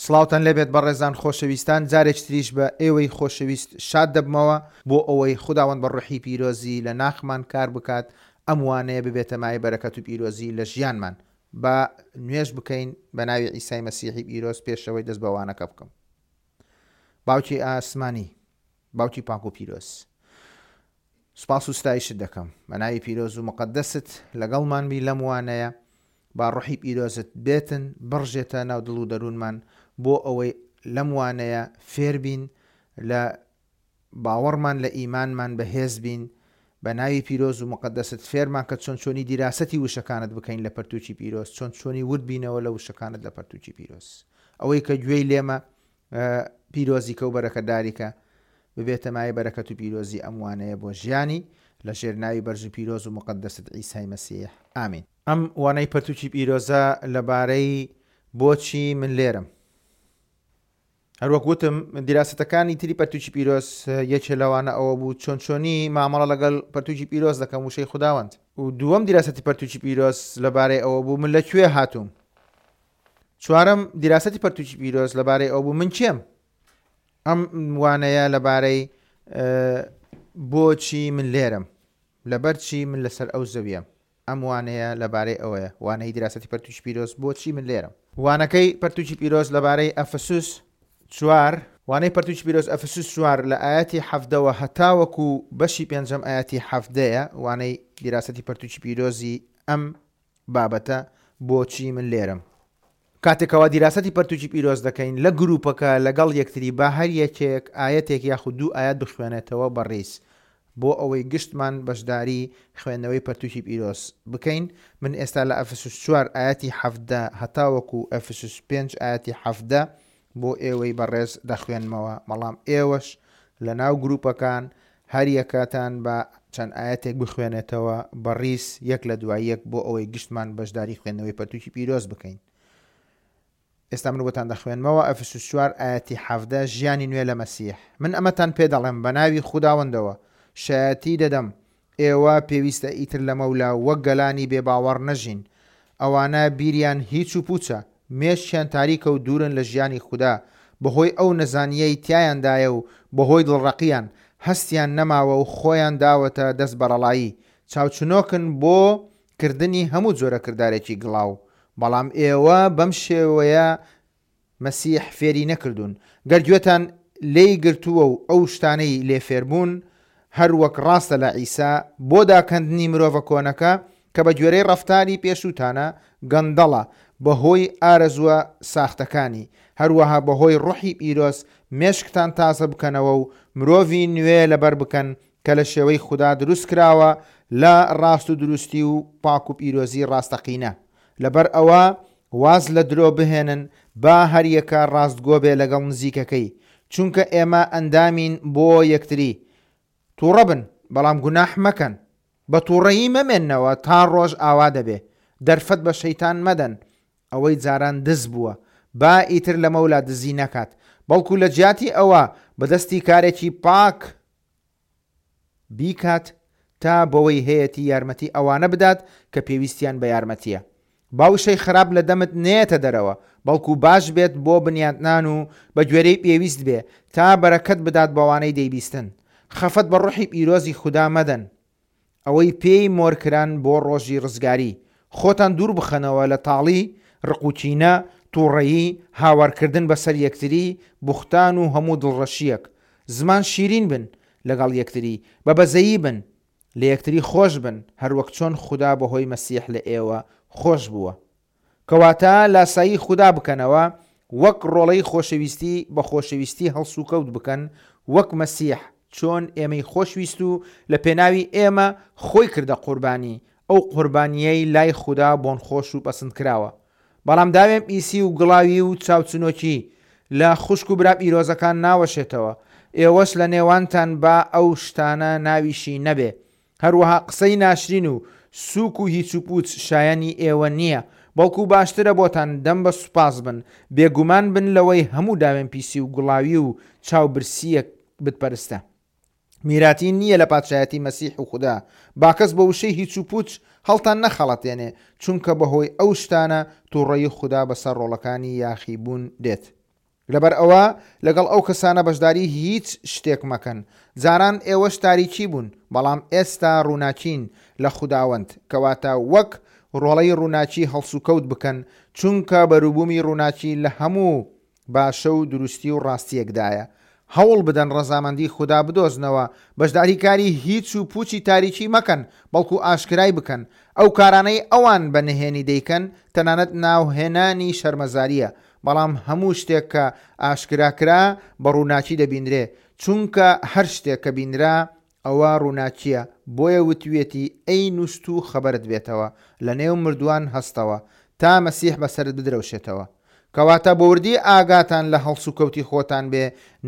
سڵاوتان لێبێت بەڕێزان خۆشەویستان جارێکی تریش بە ئێوەی خۆشەویست شاد دەبمەوە بۆ ئەوەی خوداوەند بە ڕۆحی پیرۆزی لە ناخمان کار بکات ئەم وانەیە ببێتە مایەی بەرەکەت و پیرۆزی لە ژیانمان با نوێژ بکەین بە ناوی عیسای مەسیحی پیرۆز پێشەوەی دەست بە وانەکە بکەم باوکی ئاسمانی باوکی پاک و پیرۆز سوپاس و ستایشت دەکەم بە ناوی پیرۆز و موقەدەست لەگەڵمان بی لەم وانەیە با ڕۆحی پیرۆزت بێتن بڕژێتە ناو دڵ و دەروونمان بۆ ئەوەی لەم وانەیە فێر بین لە باوەڕمان لە ئیمانمان بەهێز بین بە ناوی پیرۆز و موقەدەست فێرمان کە چۆن چۆنی دیراسەتی وشەکانت بکەین لە پەرتووکی پیرۆز چۆن چۆنی ورد بینەوە لە وشەکانت لە پەرتووکی پیرۆز ئەوەی کە گوێی لێمە پیرۆزیکە و بەرەکەتداریکە ببێتە مایەی بەرەکەت و پیرۆزی ئەم وانەیە بۆ ژیانی لە ژێر ناوی بەرز و پیرۆز و موقەدەست عیسای مەسیح ئامین. ئەم وانەی پەرتوکی پیرۆزە لەبارەی بۆچی من لێرەم. هەروەک وتم دیراسەتەکانی تری پەرتوکی پیرۆز یەکێ لەوانە ئەوە بوو چۆن چۆنی مامەڵە لەگەڵ پەرتوکی پیرۆز دەکەم وشەی خوداوەند. و دووەم دیراسەتی پەرتوکی پیرۆز لەبارەی ئەوە بوو من لە کوێ هاتووم. چوارەم، دیراسەتی پەرتوکی پیرۆز لەبارەی ئەو بوو من کێم؟ ئەم وانەیە لەبارەی بۆچی من لێرەم؟ لەبەر چی من لەسەر ئەو زەویەم؟ ئەم وانەیە لەبارەی ئەوەیە، وانەی دیراسەتی پەرتوکی پیرۆز بۆچی من لێرەم؟ وانەکەی پەرتوکی پیرۆز لەبارەی ئەفسوس چوار، وانەی پەرتوکی پیرۆز ئەفسوس چوار لە ئایەتی حەڤدەوە هەتاوەکو بەشی پێنجەم ئایەتی حەڤدەیە، وانەی دیراسەتی پەرتوکی پیرۆزی ئەم بابەتە بۆچی من لێرەم؟ کاتێک کەوا دیراسەتی پەرتوکی پیرۆز دەکەین لە گروپەکە لەگەڵ یەکتری با هەر یەکێک ئایەتێک یاخود دوو ئایەت بخوێنێتەوە بە ڕیز بۆ ئەوەی گشتمان بەشداری خوێندنەوەی پەرتوکی پیرۆز بکەین من ئێستا لە ئەفسوس چوار ئایەتی 17 هەتاوەکو ئەفسوس پێنج ئایەتی 17 بۆ ئێوەی بەڕێز دەخوێنمەوە بەڵام ئێوەش لەناو گروپەکان هەریەکەتان با چەند ئایەتێک بخوێنێتەوە بە ڕیز یەک لە دوای یەک بۆ ئەوەی گشتمان بەشداری خوێندنەوەی پەرتوکی پیرۆز بکەین. ئێستا من بۆتان دەخوێنمەوە ئەفسوس چوار ئایەتی 17 ژیانی نوێ لە مەسیح من ئەمەتان پێ دەڵێم بە ناوی خوداوەندەوە شایەتی دەدەم ئێوە پێویستە ئیتر لەمەولا وەک گەلانی بێ باوەڕ نەژین. ئەوانە بیریان هیچ و پوچە، مێشکیان تاریکە و دوورن لە ژیانی خودا، بەهۆی ئەو نەزانییەی تیایاندایە و بەهۆی دڵڕەقییان، هەستیان نەماوە و خۆیان داوەتە دەست بەڕەڵایی، چاوچنۆکن بۆ کردنی هەموو جۆرە کردارێکی گڵاو. بەڵام ئێوە بەم شێوەیە مەسیح فێری نەکردوون، گەر گوێتان لێی گرتووە و ئەو شتانەی لێ فێربوون، هەر وەک ڕاستە لە عیسا، بۆ داکەندنی مرۆڤە کۆنەکە، کە بە گوێرەی ڕەفتاری پێشووتانە گەندەڵە، بەهۆی ئارەزووە ساختەکانی، هەروەها بەهۆی ڕۆحی پیرۆز مێشکتان تازە بکەنەوە و مرۆڤی نوێ لەبەر بکەن کە لە شێوەی خودا دروست کراوە لە ڕاستودروستی و پاک و پیرۆزی ڕاستەقینە. لەبەر ئەوە واز لە درۆ بهێنن با هەریەکە ڕاستگۆ بێ لەگەڵ نزیکەکەی چونکە ئێمە ئەندامین بۆ یەکتری توڕە بن بەڵام گوناح مەکەن بە توڕەیی مەمێننەوە تا ڕۆژ ئاوا دەبێ دەرفەت بە شەیتان مەدەن ئەوەی جاران دز بووە با ئیتر لەمەولا دزی نەکات بەڵکو لە جیاتی ئەوە بە دەستی کارێکی پاک بیکات تا بەوەی هەیەتی یارمەتی ئەوانە بدات کە پێویستیان بە یارمەتیە. با وشەی خراپ لە دەمت نەیەتە دەرەوە، بەڵکو باش بێت بۆ بنیاتنان و بە گوێرەی پێویست بێ، تا بەرەکەت بدات بەوانەی دەیبیستن. خەفەت بە ڕۆحی پیرۆزی خودا مەدەن. ئەوەی پێی مۆر کران بۆ ڕۆژی ڕزگاری. خۆتان دوور بخەنەوە لە تاڵی، ڕق و کینە، تووڕەیی، هاوارکردن بەسەر یەکتری، بوختان و هەموو دڵڕەشییەک. زمان شیرین بن لەگەڵ یەکتری، بە بەزەیی بن، لە یەکتری خۆش بن، هەروەک چۆن خودا بەهۆی مەسیح لە ئێوە خۆش بووە. کەواتە لاسایی خودا بکەنەوە، وەک ڕۆڵەی خۆشەویستی بە خۆشەویستی هەڵسوکەوت بکەن، وەک مەسیح چۆن ئێمەی خۆشویست و لە پێناوی ئێمە خۆی کردە قوربانی، ئەو قوربانییەی لای خودا بۆنخۆش و پەسندکراوە. بەڵام داوێن پیسی و گڵاوی و چاوچنۆکی لە خوشک و برا پیرۆزەکان ناوەشێتەوە، ئێوەش لە نێوانتان با ئەو شتانە ناویشی نەبێ. هەروەها قسەی ناشرین و سووک و هیچوپووچ شایەنی ئێوە نییە، بەڵکو باشترە بۆتان دەم بە سوپاس بن، بێگومان بن لەوەی هەموو داوێنپیسی و گڵاوی و چاو برسییەک بتپەرستە. میراتی نییە لە پادشایەتی مەسیح و خودا. با کەس بە وشەی هیچوپووچ هەڵتان نەخەڵەتێنێ، چونکە بەهۆی ئەو شتانە تووڕەیی خودا بەسەر ڕۆڵەکانی یاخیبوون دێت. لەبەر ئەوە لەگەڵ ئەو کەسانە بەشداری هیچ شتێک مەکەن. جاران ئێوەش تاریکی بوون، بەڵام ئێستا ڕووناکین لە خوداوەند. کەواتە وەک ڕۆڵەی ڕووناکی هەڵسوکەوت بکەن، چونکە بەروبوومی ڕووناکی لە هەموو باشە و دروستی و ڕاستییەکدایە. هەوڵ بدەن ڕەزامەندی خودا بدۆزنەوە، بەشداری کاری هیچ و پوچی تاریکی مەکەن، بەڵکو ئاشکرای بکەن. ئەو کارانەی ئەوان بە نهێنی دەیکەن، تەنانەت ناوهێنانی شەرمەزارییە. بەڵام هەموو شتێک کە ئاشکرا کرا بە ڕووناکی دەبینرێ، چونکە هەر شتێک کە بینرا ئەوە ڕووناکییە، بۆیە وتویەتی، ئەی نوستوو خەبەرت بێتەوە، لەنێو مردووان هەستەوە، تا مەسیح بەسەرت بدرەوشێتەوە. کەواتە بە وردی ئاگاتان لە هەڵسوکەوتی خۆتان بێ،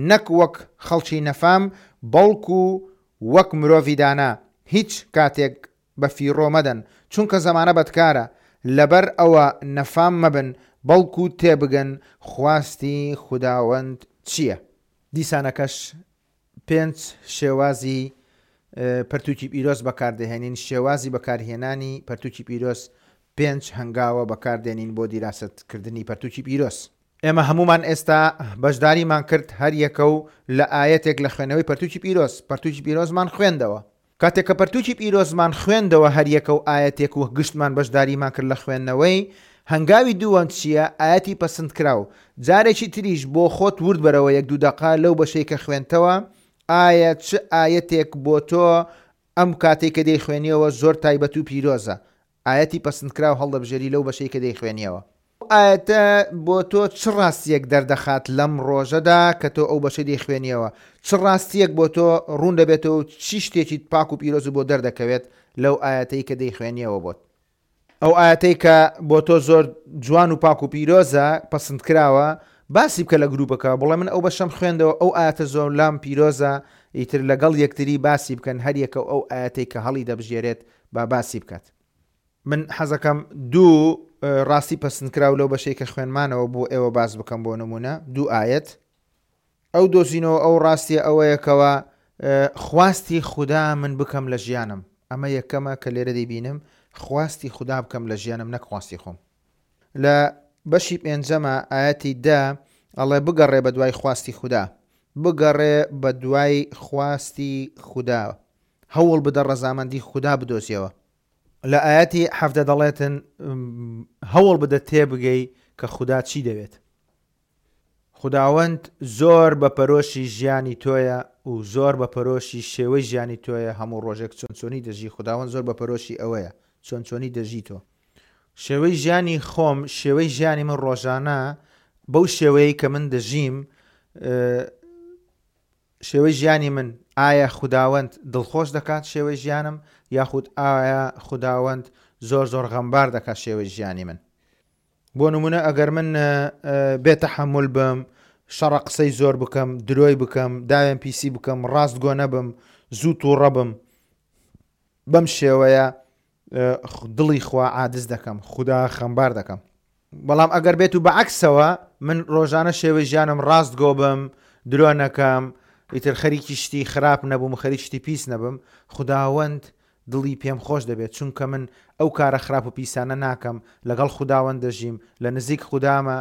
نەک وەک خەڵکی نەفام، بەڵکو وەک مرۆڤی دانا، هیچ کاتێک بە فیڕۆ مەدەن، چونکە زەمانە بەدکارە، لەبەر ئەوە نەفام مەبن، بەڵکو تێبگەن خواستی خوداوەند چییە. دیسانەکەش پێنچ شێوازی پەرتوکی پیرۆز بەکاردەهێنین، شێوازی بەکارهێنانی پەرتوکی پیرۆز پێنچ هەنگاوە بەکاردێنین بۆ دیراسەت کردنی پەرتوکی پیرۆز. ئێمە هەموومان ئێستا بەشداریمان کرد هەر یەکە و لە ئایەتێک لە خوێندنەوەی پەرتوکی پیرۆز، پەرتوکی پیرۆزمان خوێندەوە. کاتێک کە پەرتوکی پیرۆزمان خوێندەوە هەر یەکە و ئایەتێک و گشتمان بەشداریمان کرد لە خوێندنەوەی، هەنگاوی دووەم چییە؟ ئایەتی پەسندکراو. جارێکی تریش بۆ خۆت ورد بەرەوە یەک دوو دەقە لەو بەشەی کە خوێندتەوە، ئایا چ ئایەتێک بۆ تۆ ئەم کاتەی کە دەیخوێنیەوە زۆر تایبەت و پیرۆزە؟ ئایەتی پەسندکراو هەڵدەبژێری لەو بەشەی کە دەیخوێنیەوە. ئەو ئایەتە بۆ تۆ چ ڕاستییەک دەردەخات لەم ڕۆژەدا کە تۆ ئەو بەشەی دەیخوێنیەوە؟ چ ڕاستییەک بۆ تۆ ڕوون دەبێتەوە و چی شتێکی پاک و پیرۆزت بۆ دەردەکەوێت لەو ئایەتەی کە دەیخوێنیەوە بۆت؟ ئەو ئایەتەی کە بۆ تۆ زۆر جوان و پاک و پیرۆزە، پەسندکراوە، باسی بکە لە گروپەکە، بڵێ من ئەو بەشەم خوێندەوە، ئەو ئایەتە زۆر لام پیرۆزە، ئیتر لەگەڵ یەکتری باسی بکەن، هەریەکە و ئەو ئایەتەی کە هەڵیدەبژێرێت با باسی بکات. من حەزەکەم دوو ڕاستی پەسندکراو لەو بەشەی کە خوێنمانەوە بۆ ئێوە باس بکەم بۆ نمونە دوو ئایەت ئەو دۆزینەوە ئەو ڕاستیە ئەوەیە کەوا خواستی خودا من بکەم لە ژیانم ئەمە یەکەمە کە لێرە دەیبینم خواستی خودا بکەم لە ژیانم نەک خواستی خۆم لە بەشی پێنجەمە ئاەتی دە ئەڵێ بگەڕێ بە دوای خواستی خودا بگەڕێ بە دوای خواستی خودا هەوڵ بدە ڕەزامەندی خودا بدۆزیەوە لە ئایەتی حەفتە دەڵێتن هەوڵ بدە تێبگەی کە خودا چی دەوێت. خوداوەند زۆر بە پەرۆشی ژیانی تۆیە و زۆر بە پەرۆشی شێوەی ژیانی تۆیە هەموو ڕۆژێک چۆن چۆنی دەژی خوداوەند زۆر بە پەرۆشی ئەوەیە چۆن چۆنی دەژی تۆ. شێوەی ژیانی خۆم شێوەی ژیانی من ڕۆژانە بەو شێوەیەی کە من دەژیم شێوەی ژیانی من ئایا خوداوەند دڵخۆش دەکات شێوەی ژیانم یاخود ئایا خوداوەند زۆر زۆر غەمبار دەکات شێوەی ژیانی من بۆ نمونە ئەگەر من بێ تەحەمول بم شەڕە قسەی زۆر بکەم درۆی بکەم داوێن پیسی بکەم ڕاست گۆ نەبم زوو تووڕە بم بەم شێوەیە دڵی خوا عادز دەکەم خودا خەمبار دەکەم بەڵام ئەگەر بێت و بەعکسەوە من ڕۆژانە شێوەی ژیانم ڕاست گۆ بم درۆ نەکەم ئیتر خەریکی شتی خراپ نەبووم خەریکی شتی پیس نەبم خوداوەند دڵی پێم خۆش دەبێت چونکە من ئەو کارە خراپ و پیسانە ناکەم لەگەڵ خوداوەند دەژیم لە نزیک خودامە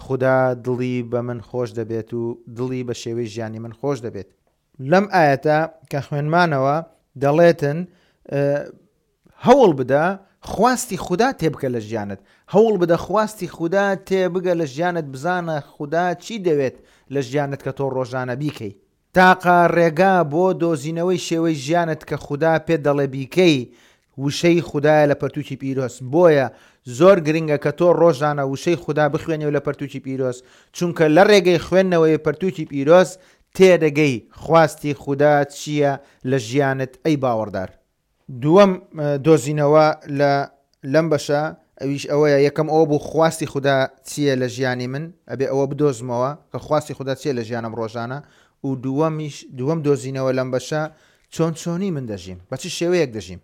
خودا دڵی بە من خۆش دەبێت و دڵی بە شێوەی ژیانی من خۆش دەبێت. لەم ئایەتە کە خوێنمانەوە دەڵێتن هەوڵ بدە خواستی خودا تێبکە لە ژیانت هەوڵ بدە خواستی خودا تێبگە لە ژیانت بزانە خودا چی دەوێت لە ژیانت کە تۆ ڕۆژانە بیکەی تاقە ڕێگا بۆ دۆزینەوەی شێوەی ژیانت کە خودا پێت دەڵێ بیکەی وشەی خودایە لە پەرتوکی پیرۆز بۆیە زۆر گرنگە کە تۆ ڕۆژانە وشەی خودا بخوێنیەوە لە پەرتوکی پیرۆز چونکە لە ڕێگەی خوێندنەوەی پەرتوکی پیرۆز تێدەگەی خواستی خودا چییە لە ژیانت ئەی باوەڕدار. دووەم دۆزینەوە لە لەم بەشە ئەویش ئەوەیە یەکەم ئەوە بوو خواستی خودا چییە لە ژیانی من ئەبێ ئەوە بدۆزمەوە کە خواستی خودا چییە لە ژیانم ڕۆژانە و دووەمیش دووەم دۆزینەوە لەم بەشە چۆن چۆنی من دەژیم بە چ شێوەیەک دەژیم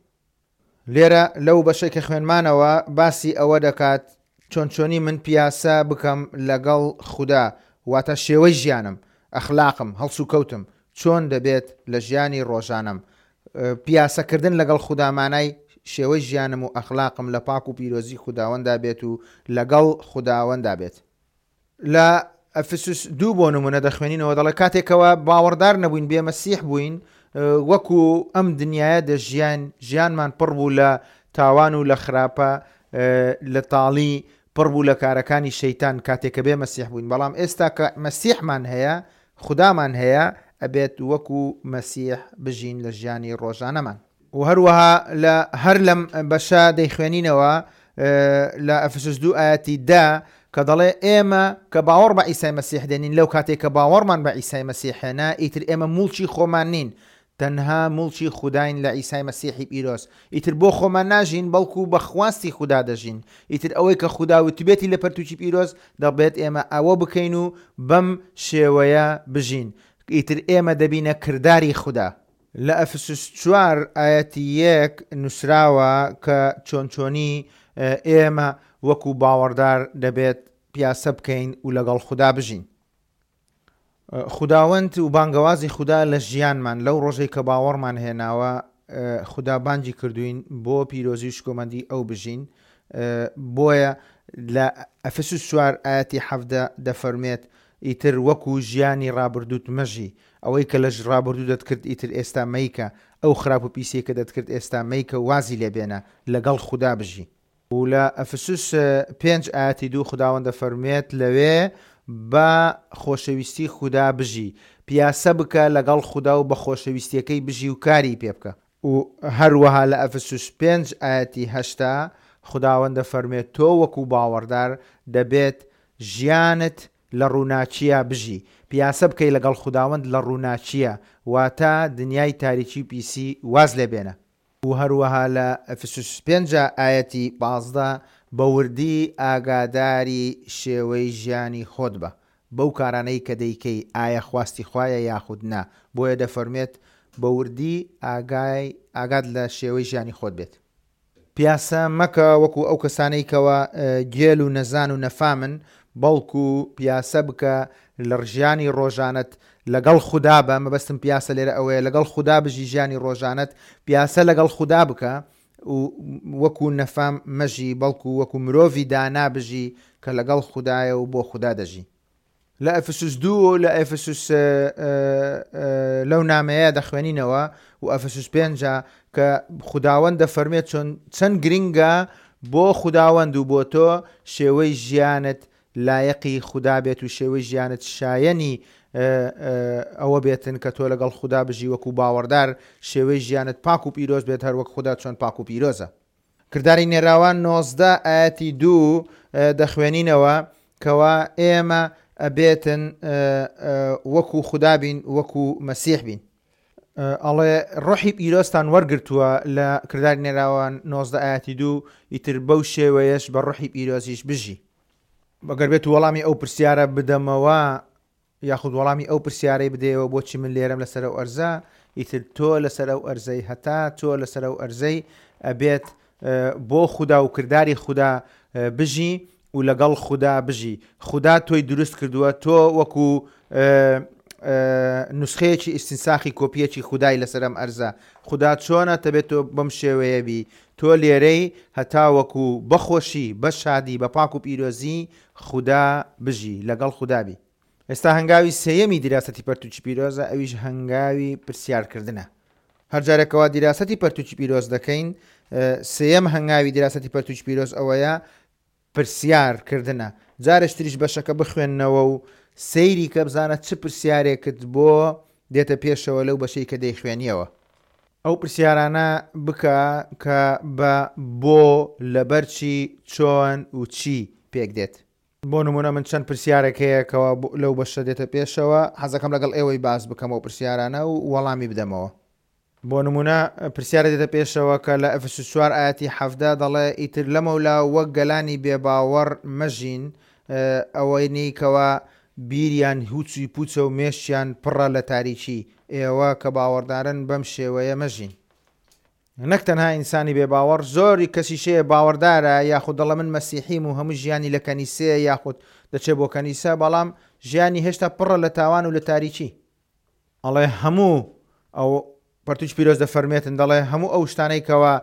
لێرە لەو بەشەی کە خوێنمانەوە باسی ئەوە دەکات چۆن چۆنی من پیاسە بکەم لەگەڵ خودا واتە شێوەی ژیانم ئەخلاقم هەڵسوکەوتم چۆن دەبێت لە ژیانی ڕۆژانەم پیاسەکردن لەگەڵ خودا مانای شێوەی ژیانم و ئەخلاقم لە پاک و پیرۆزی خوداوەندا بێت و لەگەڵ خوداوەندا بێت. لە ئەفسوس دوو بۆ نمونە دەخوێنینەوە دەڵێ کاتێکەوە باوەڕدار نەبووین بێ مەسیح بووین وەکو ئەم دنیاە دەژیان ژیانمان پڕ بوو لە تاوان و لە خراپە لە تاڵی پڕ بوو لە کارەکانی شەیتان کاتێک کە بێ مەسیح بووین بەڵام ئێستا کە مەسیحمان هەیە خودامان هەیە ئەبێت وەکو مەسیح بژین لە ژیانی ڕۆژانەمان. و هەروەها لە هەر لەم بەشە دەیخوێنینەوە لە ئەفسوس دوو ئایەتی دە کە دەڵێ ئێمە کە باوەڕ بە عیسای مەسیح دێنین لەو کاتێک کە باوەڕمان بە عیسای مەسیح هێنا ئیتر ئێمە موڵکی خۆمان نین تەنها موڵکی خوداین لە عیسای مەسیحی پیرۆز ئیتر بۆ خۆمان ناژین بەڵکو بە خواستی خودا دەژین ئیتر ئەوەی کە خودا وتبێتی لە پەرتوکی پیرۆز دەبێت ئێمە ئەوە بکەین و بەم شێوەیە بژین ئیتر ئێمە دەبینە کرداری خودا. لە ئەفسوس چوار ئایەتی یەک نووسراوە کە چۆن چۆنی ئێمە وەکو باوەڕدار دەبێت پیاسە بکەین و لەگەڵ خودا بژین. خوداوەند و بانگەوازی خودا لە ژیانمان لەو ڕۆژەی کە باوەڕمان هێناوە خودا بانگی کردوین بۆ پیرۆزی و شکۆمەندی ئەو بژین بۆیە لە ئەفسوس چوار ئایەتی حەڤدە دەفەرمێت ئیتر وەکو ژیانی ڕابردووت مەژی ئەوەی کە لە ڕابردوو دەتکرد ئیتر ئێستا مەیکە، ئەو خراپ و پیسیەی کە دەتکرد ئێستا مەیکە و وازی لێ بێنە، لەگەڵ خودا بژی. و لە ئەفسوس پێنج ئایەتی دوو خوداوەند دەفەرموێت لەوێ بە خۆشەویستی خودا بژی، پیاسە بکە لەگەڵ خودا و بە خۆشەویستیەکەی بژی و کاری پێ بکە. و هەروەها لە ئەفسوس پێنج ئایەتی هەشتا خوداوەند دەفەرموێت تۆ وەکو باوەڕدار دەبێت ژیانت لە ڕووناکییا بژی، پیاسە بکەی لەگەڵ خوداوەند لە ڕووناکییا، واتە دنیای تاریکی و پیسی واز لێ بێنە. و هەروەها لە ئەفسوس پێنج ئایەتی 15 بە وردی ئاگاداری شێوەی ژیانی خۆت بە، بەو کارانەی کە دەیکەی ئایا خواستی خوایە یاخود نا، بۆیە دەفەرموێت بە وردی ئاگای ئاگات لە شێوەی ژیانی خۆت بێت. پیاسە مەکە وەکو ئەو کەسانەی کەوا گێل و نەزان و نەفامن، بەڵکو پیاسە بکە لە ژیانی ڕۆژانەت لەگەڵ خودا بە، مەبەستم پیاسە لێرە ئەوەیە لەگەڵ خودا بژی ژیانی ڕۆژانەت، پیاسە لەگەڵ خودا بکە و وەکو نەفام مەژی، بەڵکو وەکو مرۆڤی دانا بژی کە لەگەڵ خودایە و بۆ خودا دەژی. لە ئەفسوس دوو و لە ئەفسوس لەو نامەیە دەخوێنینەوە و ئەفسوس پێنجە کە خوداوەند دەفەرمێت چۆن چەند گرنگە بۆ خوداوەند و بۆ تۆ شێوەی ژیانت لایەقی خودا بێت و شێوەی ژیانت شایەنی ئەوە بێتن کە تۆ لەگەڵ خودا بژی وەکو باوەڕدار شێوەی ژیانت پاک و پیرۆز بێت هەروەک خودا چۆن پاک و پیرۆزە. کرداری نێراوان 19 ئایەتی دوو دەخوێنینەوە کەوا ئێمە ئەبێتن وەکو خودا بین وەکو مەسیح بین. ئەڵێ ڕۆحی پیرۆزتان وەرگرتووە لە کرداری نێراوان 19 ئایەتی دوو ئیتر بەو شێوەیەش بە ڕۆحی پیرۆزیش بژی. ئەگەر بێت وەڵامی ئەو پرسیارە بدەمەوە یاخود وەڵامی ئەو پرسیارەی بدەیەوە بۆچی من لێرەم لەسەر ئەو ئەرزە، ئیتر تۆ لەسەر ئەو ئەرزەی هەتا تۆ لەسەر ئەو ئەرزەی ئەبێت بۆ خودا و کرداری خودا بژی و لەگەڵ خودا بژی خودا تۆی دروست کردووە تۆ وەکو نوسخەیەکی ئیستنساخی کۆپیەکی خودای لەسەر ئەم ئەرزە خودا چۆنە دەبێت تۆ بەم شێوەیە بی تۆ لێرەی هەتا وەکو بەخۆشی بە شادی بە پاک و پیرۆزی خودا بژی لەگەڵ خودا بی. ئێستا هەنگاوی سێیەمی دیراسەتی پەرتوکی پیرۆزە ئەویش هەنگاوی پرسیارکردنە. هەر جارێک کەوا دیراسەتی پەرتوکی پیرۆز دەکەین سێیەم هەنگاوی دیراسەتی پەرتوکی پیرۆز ئەوەیە پرسیار کردنە. جارێکی تریش بەشەکە بخوێنەوە و سەیری کە بزانە چ پرسیارێکت بۆ دێتە پێشەوە لەو بەشەی کە دەیخوێنیەوە. ئەو پرسیارانە بکە کە بە بۆ، لەبەرچی، چۆن و چی پێک دێت. بۆ نموونە من چەند پرسیارێک هەیە کەوا لەو بەشە دێتە پێشەوە، حەزەکەم لەگەڵ ئێوەی باس بکەم ئەو پرسیارانە و وەڵامی بدەمەوە. بۆ نموونە پرسیارێک دێتە پێشەوە کە لە ئەفسوس چوار ئایەتی 17 دەڵێ ئیتر لەمەولا وەک گەلانی بێباوەڕ مەژین، ئەوەی کەوا بیریان هوچی پوچە و مێشکیان پڕە لە تاریکی، ئێوە کە باوەڕدارن بەم شێوەیە مەژین. نەک تەنها ئینسانی بێ باوەڕ، زۆری کەسیش هەیە باوەڕدارە یاخود دەڵێ من مەسیحیم و هەموو ژیانی لە کەنیسەیە یاخود دەچێ بۆ کەنیسە، بەڵام ژیانی هێشتا پڕە لە تاوان و لە تاریکی. ئەڵێ هەموو ئەو پەرتوکی پیرۆز دەفەرمێتن دەڵێ هەموو ئەو شتانەی کەوا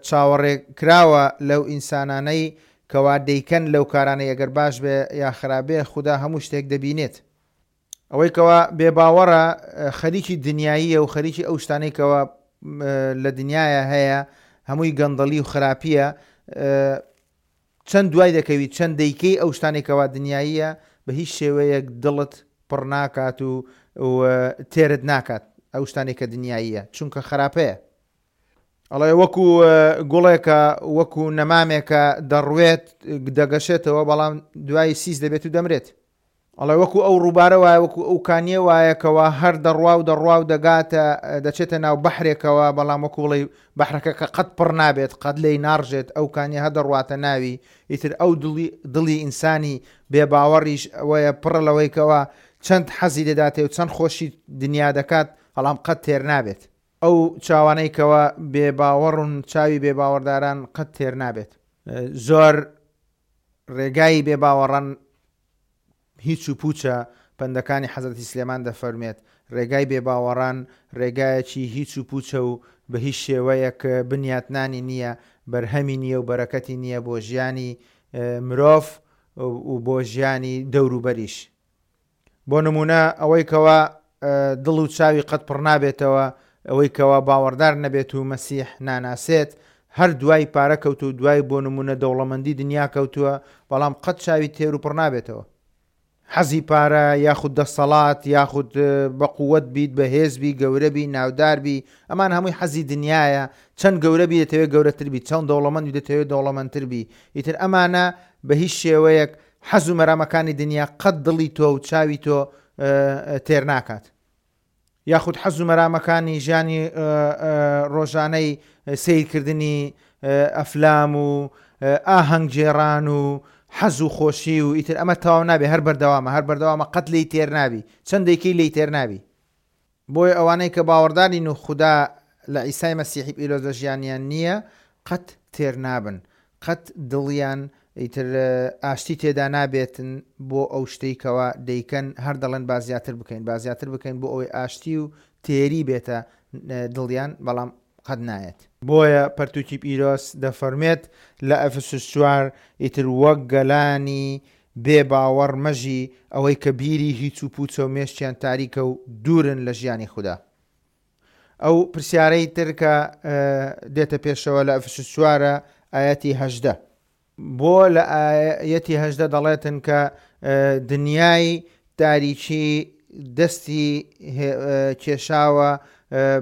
چاوەڕێ کراوە لەو ئینسانانەی کەوا دەیکەن لەو کارانەی ئەگەر باش بێ یا خراپ بێ خودا هەموو شتێک دەبینێت. ئەوەی کەوا بێ باوەڕە خەریکی دنیاییە و خەریکی ئەو شتانەی کەوا لە دنیایا هەیە هەمووی گەندەڵی و خراپیە چەند دوای دەکەوی چەند دەیکەی ئەو شتانەی کەوا دنیاییە بە هیچ شێوەیەک دڵت پڕ ناکات و تێرت ناکات ئەو شتانەی کە دنیاییە چونکە خراپەیە. ئەڵێ وەکو گوڵێکە وەکو نەمامێکە دەڕوێت دەگەشێتەوە بەڵام دوای سیس دەبێت و دەمرێت. ئەڵێ وەکو ئەو ڕووبارە وایە وەکو ئەو کانیە وایە کەوا هەر دەڕوا و دەڕوا و دەگاتە دەچێتە ناو بەحرێکەوە بەڵام وەکو بڵێی بەحرەکە کە قەت پڕ نابێت قەت لێی ناڕژێت ئەو کانیە هەر دەڕواتە ناوی ئیتر ئەو دڵی دڵی ئینسانی بێ باوەڕیش ئەوەیە پڕە لەوەی کەوا چەند حەزی دەداتێ و چەند خۆشی دنیا دەکات بەڵام قەت تێر نابێت. ئەو چاوانەی کەوا بێ باوەڕن چاوی بێ باوەڕداران قەت تێر نابێت. زۆر ڕێگای بێ باوەڕان هیچ و پوچە، پەندەکانی حەزرەتی سلێمان دەفەرموێت، ڕێگای بێ باوەڕان ڕێگایەکی هیچ و پوچە و بە هیچ شێوەیەک بنیاتنانی نییە، بەرهەمی نییە و بەرەکەتی نییە بۆ ژیانی مرۆڤ و بۆ ژیانی دەوروبەریش. بۆ نموونە ئەوەی کەوا دڵ و چاوی قەت پڕ نابێتەوە، ئەوەی کەوا باوەڕدار نەبێت و مەسیح ناناسێت، هەر دوای پارە کەوتوو و دوای بۆ نموونە دەوڵەمەندی دنیا کەوتووە، بەڵام قەت چاوی تێر و پڕ نابێتەوە. حەزی پارە یاخود دەسەڵات یاخود بە قووەت بیت، بەهێز بی، گەورە بی، ناودار بی، ئەمان هەمووی حەزی دنیایە، چەند گەورە بی دەتەوێت گەورەتر بی، چەند دەوڵەمەند بی دەتەوێت دەوڵەمەندتر بی، ئیتر ئەمانە بە هیچ شێوەیەک حەز و مەرامەکانی دنیا قەت دڵی تۆ و چاوی تۆ تێر ناکات. یاخود حەز و مەرامەکانی ژیانی ڕۆژانەی سەیرکردنی ئەفلام و ئاهەنگ گێڕان و حەز و خۆشی و ئیتر ئەمە تەواو نابێ هەر بەردەوامە هەر بەردەوامە قەت لێی تێر نابی چەند دەیکەی لێی تێر نابی. بۆیە ئەوانەی کە باوەڕدارین و خودا لە عیسای مەسیحی پیرۆز لە ژیانیان نییە قەت تێر نابن، قەت دڵیان ئیتر ئاشتی تێدا نابێتن بۆ ئەو شتەی کەوا دەیکەن، هەر دەڵێن با زیاتر بکەین، با زیاتر بکەین بۆ ئەوەی ئاشتی و تێری بێتە دڵیان، بەڵام قەت نایەت. بۆیە پەرتوکی پیرۆز دەفەرموێت لە ئەفسوس چوار، ئیتر وەک گەلانی بێ باوەڕ مەژی، ئەوەی کە بیری هیچ و پوچە و مێشکیان تاریکە و دوورن لە ژیانی خودا. ئەو پرسیارەی تر کە دێتە پێشەوە لە ئەفسوس چوارە ئایەتی 18. بۆ لە ئایەتی 18 دەڵێتن کە دنیای تاریکی دەستی کێشاوە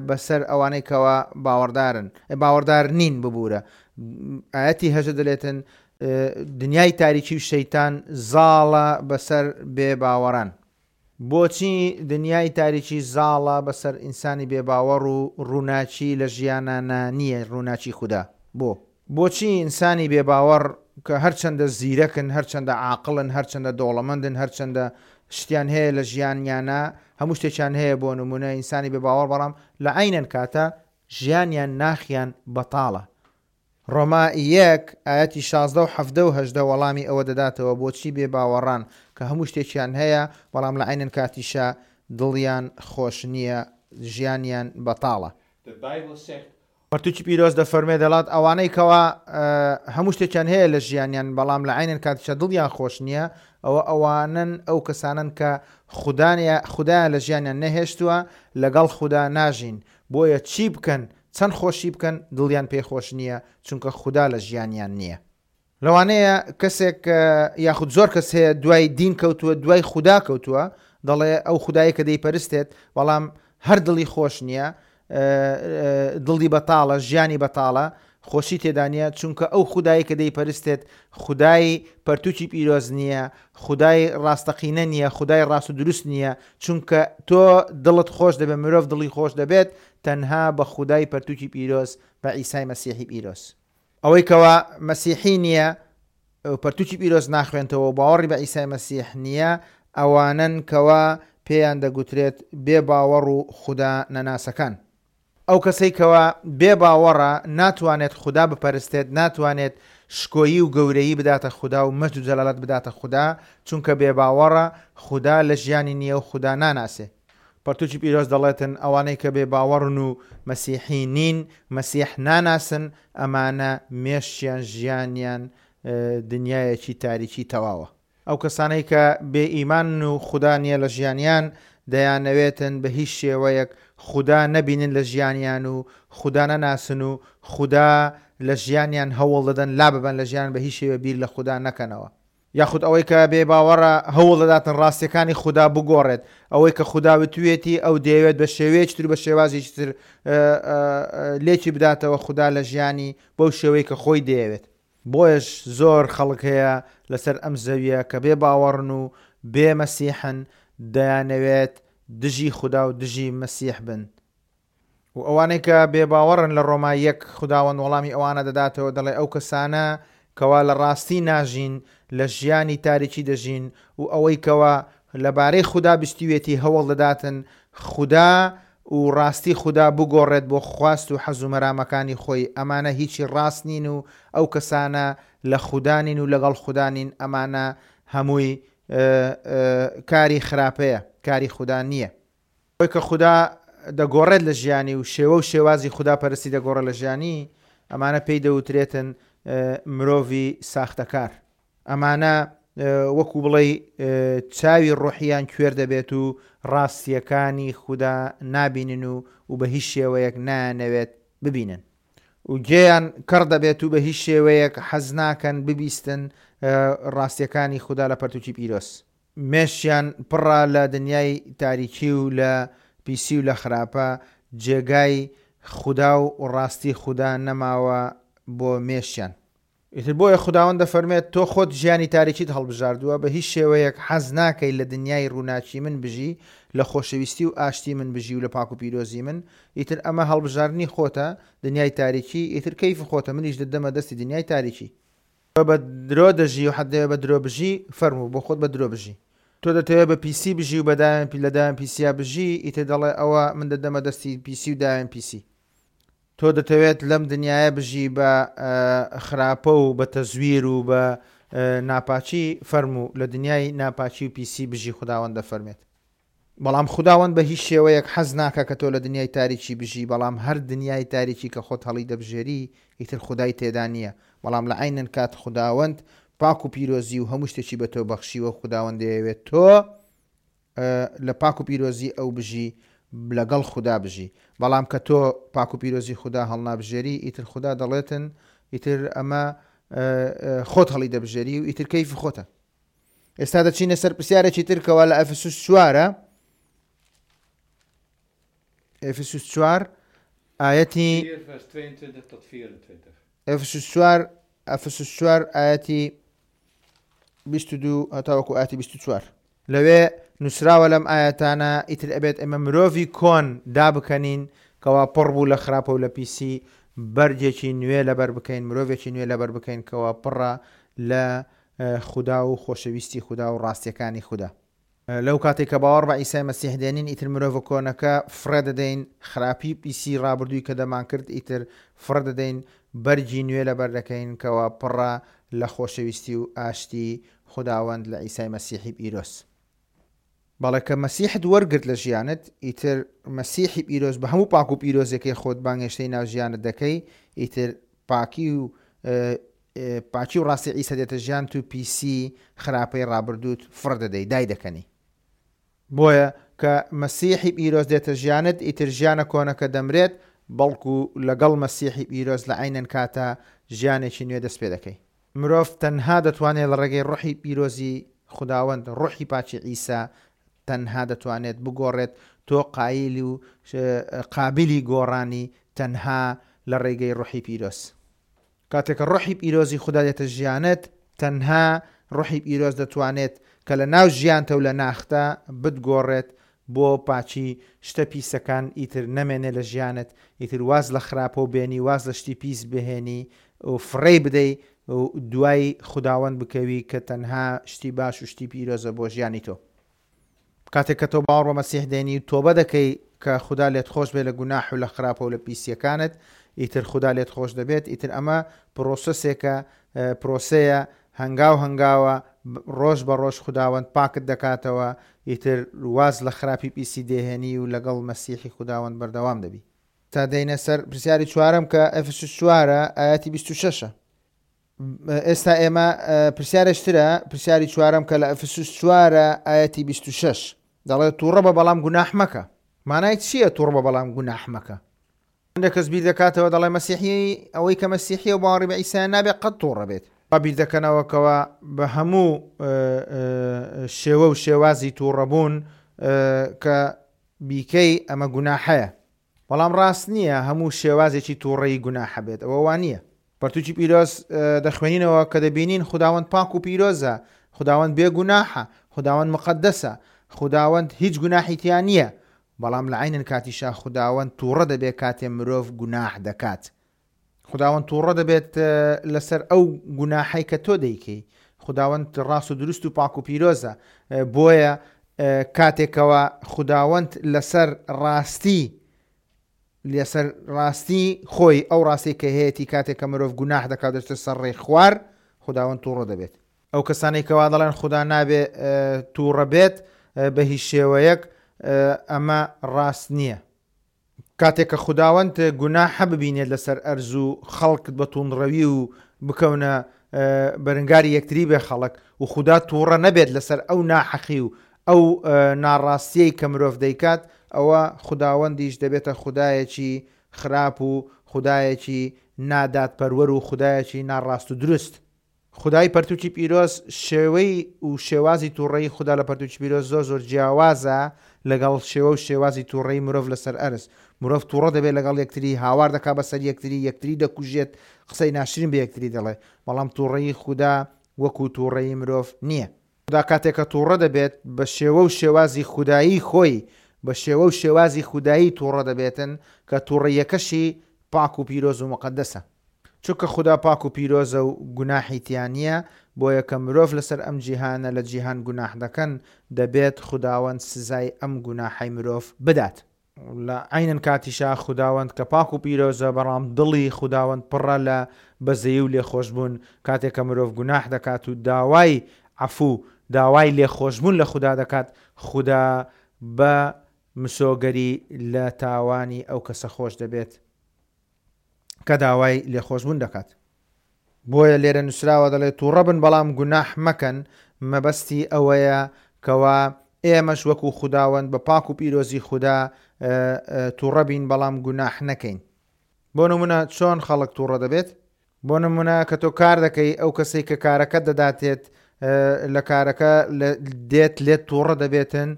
بەسەر ئەوانەی کەوا باوەڕدارن باوەڕدار نین ببوورە ئایەتی هەژە دەلێتن دنیای تاریکی و شەیتان زاڵە بەسەر بێ باوەڕان. بۆچی دنیای تاریکی زاڵە بەسەر ئینسانی بێ باوەڕ و ڕووناکی لە ژیانانا نییە ڕووناکی خودا؟ بۆ؟ بۆچی ئینسانی بێ باوەڕ کە هەرچەندە زیرەکن هەرچەندە عاقڵن هەرچەندە دەوڵەمەندن هەرچەندە شتیان هەیە لە ژیانیانا هەموو شتێکیان هەیە بۆ نموونە ئینسانی بێ باوەڕ بەڵام لە عەینەن کاتە ژیانیان ناخیان بەتاڵە ڕۆما یەک، ئایەتی 16 و 17 و 18 وەڵامی ئەوە دەداتەوە بۆچی بێ باوەڕان کە هەموو شتێکیان هەیە بەڵام لە عەینەن کاتیشا دڵیان خۆش نییە ژیانیان بەتاڵە. De Bijbel zegt. پەرتوکی پیرۆز دەفەرموێ دەڵات ئەوانەی کەوا هەموو شتێکیان هەیە لە ژیانیان بەڵام لە عەینەن کاتیشا دڵیان خۆش نییە ئەوە ئەوانەن ئەو کەسانەن کە خودایان لە ژیانیان نەهێشتووە لەگەڵ خودا ناژین بۆیە چی بکەن چەند خۆشی بکەن دڵیان پێی خۆش نییە چونکە خودا لە ژیانیان نییە. لەوانەیە کەسێک یاخود زۆر کەس هەیە دوای دین کەوتووە دوای خودا کەوتووە دەڵێ ئەو خودایە کە دەیپەرستێت بەڵام هەر دڵی خۆش نییە دڵی بەتاڵە ژیانی بەتاڵە خۆشی تێدا نییە چونکە ئەو خودایی کە دەیپەرستێت خودای پەرتوکی پیرۆز نییە خودای ڕاستەقینە نییە خودای ڕاست و دروست نییە چونکە تۆ دڵت خۆش دەبێت مرۆڤ دڵی خۆش دەبێت تەنها بە خودای پەرتوکی پیرۆز بە عیسای مەسیحی پیرۆز. ئەوەی کەوا مەسیحی نییە و پەرتوکی پیرۆز ناخوێنتەوە و باوەڕی بە عیسای مەسیح نییە، ئەوانەن کەوا پێیان دەگوترێت بێ باوەڕ و خودا نەناسەکان. ئەو کەسەی کەوا بێ باوەڕە ناتوانێت خودا بپەرستێت، ناتوانێت شکۆیی و گەورەیی بداتە خودا و مەجد و جەلالەت بداتە خودا، چونکە بێ باوەڕە، خودا لە ژیانی نییە و خودا ناناسێ. پەرتوکی پیرۆز دەڵێتن ئەوانەی کە بێ باوەڕن و مەسیحی نین، مەسیح ناناسن، ئەمانە مێشکیان ژیانیان دنیایەکی تاریکی تەواوە. ئەو کەسانەی کە بێ ئیمانن و خودا نیە لە ژیانیان دەیانەوێتن بە هیچ شێوەیەک خودا نەبینن لە ژیانیان و خودا نەناسن و خودا لە ژیانیان هەوڵ دەدەن لاببەن لە ژیان بە هیچ شێوە بیر لە خودا نەکەنەوە. یاخود ئەوەی کە بێ باوەڕە هەوڵ دەداتن ڕاستیەکانی خودا بگۆڕێت ئەوەی کە خودا وتوێتی ئەو دەیەوێت بە شێوەیەکی تر و بە شێوازێکی تر لێکی بداتەوە خودا لە ژیانی بەو شێوەی کە خۆی دەیەوێت. بۆیەش زۆر خەڵک هەیە لەسەر ئەم زەویە کە بێ باوەڕن و بێ مەسیحن دەیانەوێت دژی خودا و دژی مەسیح بن و ئەوانەی کە بێ باوەڕن لە ڕۆما یەک خوداوەند وەڵامی ئەوانە دەداتەوە دەڵێ ئەو کەسانە کەوا لە ڕاستی ناژین لە ژیانی تاریکی دەژین و ئەوەی کەوا لەبارەی خودا بیستویەتی هەوڵ دەداتن خودا و ڕاستی خودا بگۆڕێت بۆ خواست و حەز و مەرامەکانی خۆی، ئەمانە هیچی ڕاست نین و ئەو کەسانە لە خودا نین و لەگەڵ خودا نین، ئەمانە هەمووی کاری خراپەیە، کاری خودا نییە. ئەوەی کە خودا دەگۆڕێت لە ژیانی و شێوە و شێوازی خودا پەرستی دەگۆڕێت لە ژیانی، ئەمانە پێی دەوترێتن مرۆڤی ساختەکار. ئەمانە وەکو بڵێی چاوی ڕۆحیان کوێر دەبێت و ڕاستییەکانی خودا نابینن و و بە هیچ شێوەیەک نایانەوێت ببینن و گوێیان کەڕ دەبێت و بە هیچ شێوەیەک حەز ناکەن ببیستن ڕاستییەکانی خودا لە پەرتوکی پیرۆز. مێشکیان پڕە لە دنیای تاریکی و لە پیسی و لە خراپە، جێگای خودا و ڕاستی خودا نەماوە بۆ مێشکیان. ئیتر بۆیە خوداوەند دەفەرموێت، تۆ خۆت ژیانی تاریکیت هەڵبژاردووە، بە هیچ شێوەیەک حەز ناکەی لە دنیای ڕووناکی من بژی، لە خۆشەویستی و ئاشتی من بژی و لە پاک و پیرۆزی من، ئیتر ئەمە هەڵبژاردنی خۆتە، دنیای تاریکی، ئیتر کەیفی خۆتە، منیش دەتدەمە دەستی دنیای تاریکی. تۆ بە درۆ دەژی و حەتدەوێ بە درۆ بژی، فەرموو، بۆ خۆت بە درۆ بژی. تۆ دەتەوێ بە پیسی بژی و بە داوێن لە داوێن پیسیا بژی، ئیتر دەڵێ ئەوە من دەتدەمە دەستی پیسی و داوێن پیسی. تۆ دەتەوێت لەم دنیایە بژی بە خراپە و بە تەزویر و بە ناپاکی، فەرموو لە دنیای ناپاکی و پیسی بژی خوداوەند دەفەرمێت. بەڵام خوداوەند بە هیچ شێوەیەک حەز ناکا کە تۆ لە دنیای تاریکی بژی، بەڵام هەر دنیای تاریکی کە خۆت هەڵی دەبژێری ئیتر خودای تێدا نییە، بەڵام لە عەینەن کات خوداوەند پاک و پیرۆزی و هەموو شتێکی بە تۆ بەخشیوە خوداوەند دەیەوێت تۆ لە پاک و پیرۆزی ئەو بژی لەگەڵ خودا بژی بەڵام کە تۆ پاک و پیرۆزی خودا هەڵنابژێری ئیتر خودا دەڵێتن ئیتر ئەمە خۆت هەڵی دەبژێری و ئیتر کەیفی خۆتە ئێستا دەچینە سەر پرسیارێکی تر کەوا لە ئەفسوس چوارە ئەفسوس چوار ئاەتی 4 vers 22 tot 24. ئەفسوس چوار ئەفسوس چوار ئاەتی 22 هەتاوەکو ئاەتی 24 لەوێ نووسراوە لەم ئایەتانە ئیتر ئەبێت ئێمە مرۆڤی کۆن دابکەنین کەوا پڕ بوو لە خراپە و لە پیسی بەرگێکی نوێ لەبەر بکەین مرۆڤێکی نوێ لەبەر بکەین کەوا پڕە لە خودا و خۆشەویستی خودا و ڕاستیەکانی خودا. لەو کاتەی کە باوەڕ بە عیسای مەسیح دێنین ئیتر مرۆڤە کۆنەکە فڕێ دەدەین، خراپی و پیسی ڕابردووی کە دەمانکرد ئیتر فڕێ دەدەین، بەرگی نوێ لەبەر دەکەین کەوا پڕە لە خۆشەویستی و ئاشتی خوداوەند لە عیسای مەسیحی پیرۆز. بەڵێ کە مەسیحت وەرگرت لە ژیانت ئیتر مەسیحی پیرۆز بە هەموو پاک و پیرۆزیەکەی خۆت بانگهێشتەی ناو ژیانت دەکەی ئیتر پاکی و پاکی و ڕاستی عیسا دێتە ژیانت و پیسی خراپەی ڕابردووت فڕ دەدەی دای دەکەنی. بۆیە کە مەسیحی پیرۆز دێتە ژیانت ئیتر ژیانە کۆنەکە دەمرێت بەڵکو لەگەڵ مەسیحی پیرۆز لە عەینەن کاتا ژیانێکی نوێ دەست پێ دەکەی. مرۆڤ تەنها دەتوانێت لە ڕێگەی ڕۆحی پیرۆزی خوداوەند، ڕۆحی پاکی عیسا تەنها دەتوانێت بگۆڕێت، تۆ قایل و قابیلی گۆڕانی تەنها لە ڕێگەی ڕۆحی پیرۆز. کاتێک کە ڕۆحی پیرۆزی خودا دێتە ژیانت، تەنها ڕۆحی پیرۆز دەتوانێت کە لە ناو ژیانتە و لە ناختە بتگۆڕێت بۆ پاکی، شتە پیسەکان ئیتر نەمێنێ لە ژیانت، ئیتر واز لە خراپە و بێنی، واز لە شتی پیس بهێنی و فڕێی بدەی و دوای خوداوەند بکەوی کە تەنها شتی باش و شتی پیرۆزە بۆ ژیانی تۆ. کاتێک کە تۆ باوەڕ بە مەسیح دێنی و تۆبە دەکەی کە خودا لێت خۆش بێت لە گوناح و لە خراپە و لە پیسیەکانت ئیتر خودا لێت خۆش دەبێت ئیتر ئەمە پرۆسەسێکە پرۆسەیە هەنگاو هەنگاوە ڕۆژ بە ڕۆژ خوداوەند پاکت دەکاتەوە ئیتر واز لە خراپی پیسی دێهێنی و لەگەڵ مەسیحی خوداوەند بەردەوام دەبی. تا دێینە سەر پرسیاری چوارەم کە ئەفسوس چوارە ئایەتی 26 ە. ئێستا ئێمە پرسیارێکترە، پرسیاری چوارەم کە لە ئەفسوس چوارە ئایەتی 26 دەڵێت تووڕە بە بەڵام گوناح مەکە. مانای چییە تووڕە بە بەڵام گوناح مەکە؟ هەندێک کەس بیر دەکاتەوە دەڵێ مەسیحی ئەوەی کە مەسیحیە و باوەڕی بە عیسایە نابێت قەت تووڕە بێت. وا بیر دەکەنەوە کەوا بە هەموو شێوە و شێوازی تووڕەبوون کە بیکەی ئەمە گوناحەیە. بەڵام ڕاست نییە هەموو شێوازێکی تووڕەیی گوناحە بێت، ئەوە وا نییە. پەرتووکی پیرۆز دەخوێنینەوە کە دەبینین خوداوەند پاک و پیرۆزە، خوداوەند بێ گوناحە، خوداوەند مقەدەسە، خوداوەند هیچ گوناحی تیا نییە، بەڵام لە عەینەن کاتیشا خوداوەند تووڕە دەبێت کاتێ مرۆڤ گوناح دەکات. خوداوەند تووڕە دەبێت لەسەر ئەو گوناحەی کە تۆ دەیکەی. خوداوەند ڕاست و دروست و پاک و پیرۆزە، بۆیە کاتێکەوە خوداوەند لەسەر ڕاستی لەسەر ڕاستی خۆی ئەو ڕاستی کە هەیەی کاتێک کە مرۆڤ گوناح دەکات دەچێتە سەر ڕێی خوار خوداوەند تووڕە دەبێت. ئەو کەسانەی کەوا دەڵێن خودا نابێ تووڕە بێت بە هیچ شێوەیەک ئەمە ڕاست نییە. کاتێک کە خوداوەند گوناحە ببینێت لەسەر ئەرز و خەڵک بە توندڕەوی و بکەونە بەرنگاری یەکتری بێ خەڵک و خودا تووڕە نەبێت لەسەر ئەو ناحەقی و ئەو ناڕاستیەی کە مرۆڤ دەیکات ئەوە خوداوەندیش دەبێتە خودایەکی خراپ و خودایەکی نادادپەروەر و خودایەکی ناڕاست و دروست. خودای پەرتوکی پیرۆز شێوەی و شێوازی توڕەیی خودا لە پەرتوکی پیرۆز زۆر زۆر جیاوازە لەگەڵ شێوە و شێوازی توڕەیی مرۆڤ لەسەر ئەرز. مرۆڤ توڕە دەبێت لەگەڵ یەکتری، هاوار دەکات بەسەر یەکتری، یەکتری دەکوژێت، قسەی ناشرین بە یەکتری دەڵێ. بەڵام توڕەیی خودا وەکو توڕەیی مرۆڤ نییە. خودا کاتێک کە توڕە دەبێت بە شێوە و شێوازی خودایی خۆی، بە شێوە و شێوازی خودایی توڕە دەبێتن کە توڕەییەکەشی پاک و پیرۆز و موقەدەسە. چونکە خودا پاک و پیرۆزە و گوناحی تیا نییە، بۆیە کە مرۆڤ لەسەر ئەم جیهانە لە جیهان گوناح دەکەن، دەبێت خوداوەند سزای ئەم گوناحەی مرۆڤ بدات. لە عەینەن کاتیشا خوداوەند کە پاک و پیرۆزە، بەڵام دڵی خوداوەند پڕە لە بەزەیی و لێخۆشبوون، کاتێک کە مرۆڤ گوناح دەکات و داوای عەفوو، داوای لێخۆشبوون لە خودا دەکات، خودا بە مسۆگەری لە تاوانی ئەو کەسە خۆش دەبێت. کە داوای لێخۆشبوون دەکات. بۆیە لێرە نووسراوە دەڵێت تووڕە بن بەڵام گوناح مەکەن، مەبەستی ئەوەیە کەوا ئێمەش وەکو خوداوەند بە پاک و پیرۆزی خودا تووڕە بین بەڵام گوناح نەکەین. بۆ نمونە چۆن خەڵک تووڕە دەبێت؟ بۆ نمونە کە تۆ کار دەکەی ئەو کەسەی کە کارەکەت دەداتێت لە کارەکە دێت لێت تووڕە دەبێتن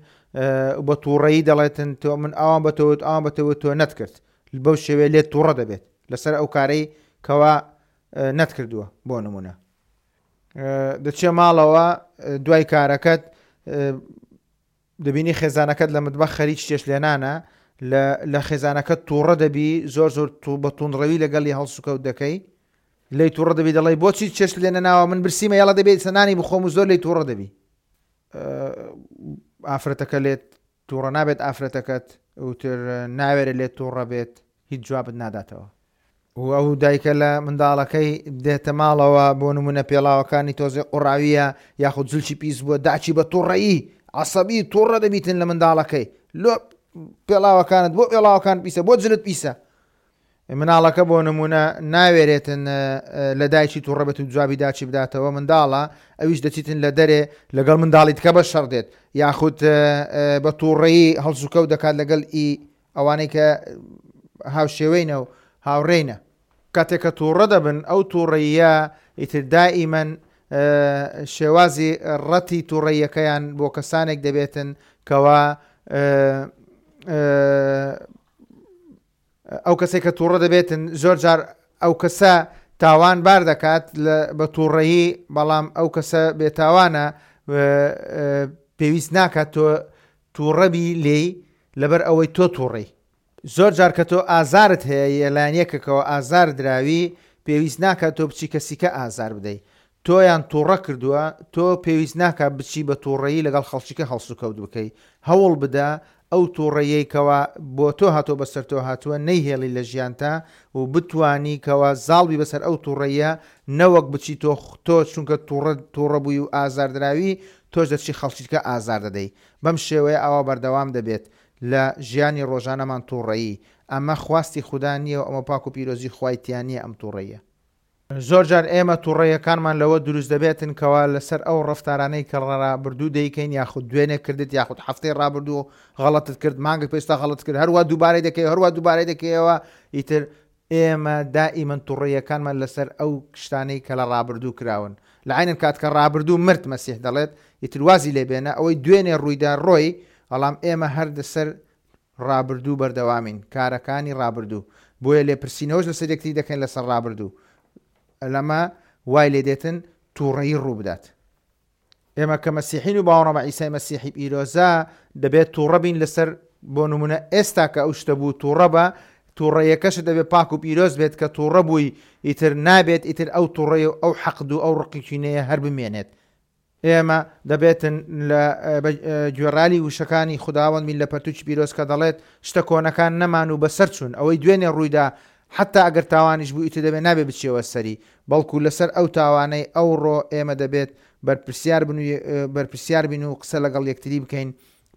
بە تووڕەیی دەڵێتن تۆ من ئەوان بە تۆوت ئەوان بە تۆوت تۆ نەتکرد بەو شێوەیە لێت تووڕە دەبێت لەسەر ئەو کارەی کەوا نەتکردووە بۆ نمونە دەچێ ماڵەوە دوای کارەکەت دەبینی خێزانەکەت لە متبەخ خەریک چێشت لێنانە لە خێزانەکەت تووڕە دەبی زۆر زۆر بە توندڕەوی لەگەڵی هەڵسوکەوت دەکەی لێی تووڕە دەبی دەڵێی بۆچی چێشت لێ نەناوە من برسیمە یاڵا دەبێت سەنانی بخۆم و زۆر لێی تووڕە دەبی ئافرەتەکە لێت تووڕە نابێت ئافرەتەکەت وتر ناوێرە لێت تووڕە بێت هیچ جوابت ناداتەوە. و ئەو دایکە لە منداڵەکەی دێتە ماڵەوە بۆ نمونە پێڵاوەکانی تۆزێ قوڕاویە یاخود جلکی پیس بووە داکی بە توڕەیی عەسەبی توڕە دەبیتن لە منداڵەکەی لۆ پێڵاوەکانت بۆ پێڵاوەکان پیسە بۆ جلت پیسە مناڵەکە بۆ نمونە ناوێرێتن لە دایکی توڕە بێت و جوابی داچی بداتەوە منداڵە ئەویش دەچیتن لە دەرێ لەگەڵ منداڵی تکە بە شەڕ دێت یاخود بە تووڕەیی هەڵسوکەوت دەکات لەگەڵ ئی ئەوانەی کە هاوشێوەینە و هاوڕێینە. کاتێک کە تووڕە دەبن، ئەو تووڕەییە ئیتر دائیمەن شێوازی ڕەتی تووڕەییەکەیان بۆ کەسانێک دەبێتن کەوا ئەو کەسێک کە تووڕە دەبێتن زۆر جار ئەو کەسە تاوان بار دەکات بە تووڕەیی بەڵام ئەو کەسە بێتاوانە پێویست ناکات تۆ تووڕەبی لێی لەبەر ئەوەی تۆ توڕەی. زۆر جار کە تۆ ئازارت هەیە یە لایەن یەکەکەوە ئازار دراوی پێویست ناکات تۆ بچی کەسیکە ئازار بدەی. تۆیان توڕە کردووە تۆ پێویست ناکات بچی بە توڕەیی لەگەڵ خەڵکیکە هەڵسوکەوت بکەی. هەوڵ بدە ئەو توڕەیەی کەوا بۆ تۆ هاتووە بەسەر تۆ هاتووە نەیهێڵی لە ژیانتا و بتوانی کەوا زاڵ بی بەسەر ئەو توڕەیە نەوەک بچی تۆ تۆ چونکە توڕە توڕە بووی و ئازار دراوی تۆش دەچی خەڵکیکە ئازار دەدەی. بەم شێوەیە ئاوا بەردەوام دەبێت لە ژیانی ڕۆژانەمان توڕەیی، ئەمە خواستی خودا نییە و ئەمە پاک و پیرۆزی خوای تیا نییە ئەم توڕەییە. زۆر جار ئێمە توڕەیەکانمان لەوە دروست دەبێتن کەوا لەسەر ئەو ڕەفتارانەی کە ڕابردوو دەیکەین یاخود دوێنێ کردت یاخود هەفتەی ڕابردوو غەڵەتت کرد مانگێک پێشتا غەڵەت کرد هەروا دووبارەی دەکەی هەروا دووبارەی دەکەیەوە ئیتر ئێمە دائیمەن توڕەیەکانمان لەسەر ئەو شتانەی کە لە ڕابردوو کراون لە عەینەن کات کە ڕابردوو مرد مەسیح دەڵێت ئیتر وازی لێ بێنە ئەوەی دوێنێ ڕوویدا ڕۆی بەڵام ئێمە هەر لەسەر ڕابردوو بەردەوامین، کارەکانی ڕابردوو، بۆیە لێپرسینەوەش لەسەر یەکتری دەکەین لەسەر ڕابردوو، لەمە وای لێدێتن توڕەیی ڕووبدات. ئێمە کە مەسیحین و باوەڕمان بە عیسای مەسیحی پیرۆزە، دەبێت توڕە بین لەسەر، بۆ نمونە ئێستا کە ئەو شتە بوو توڕە بە، توڕەیەکەشت دەبێت پاک و پیرۆز بێت، کە توڕە بووی ئیتر نابێت ئیتر ئەو توڕەی و ئەو حەقد و ئەو ڕقی کینەیە هەر بمێنێت. ئێمە دەبێتن لە گوێڕالی وشەکانی خوداوەند بین لە پەرتوکی پیرۆز کە دەڵێت شتە کۆنەکان نەمان و بەسەر چوون ئەوەی دوێنێ ڕوویدا حتا ئەگەر تاوانیش بوو ئیتر دەبێت نابێ بچیەوە سەری بەڵکو لەسەر ئەو تاوانەی ئەوڕۆ ئێمە دەبێت بەرپرسیار بن و بەرپرسیار بین و قسە لەگەڵ یەکتری بکەین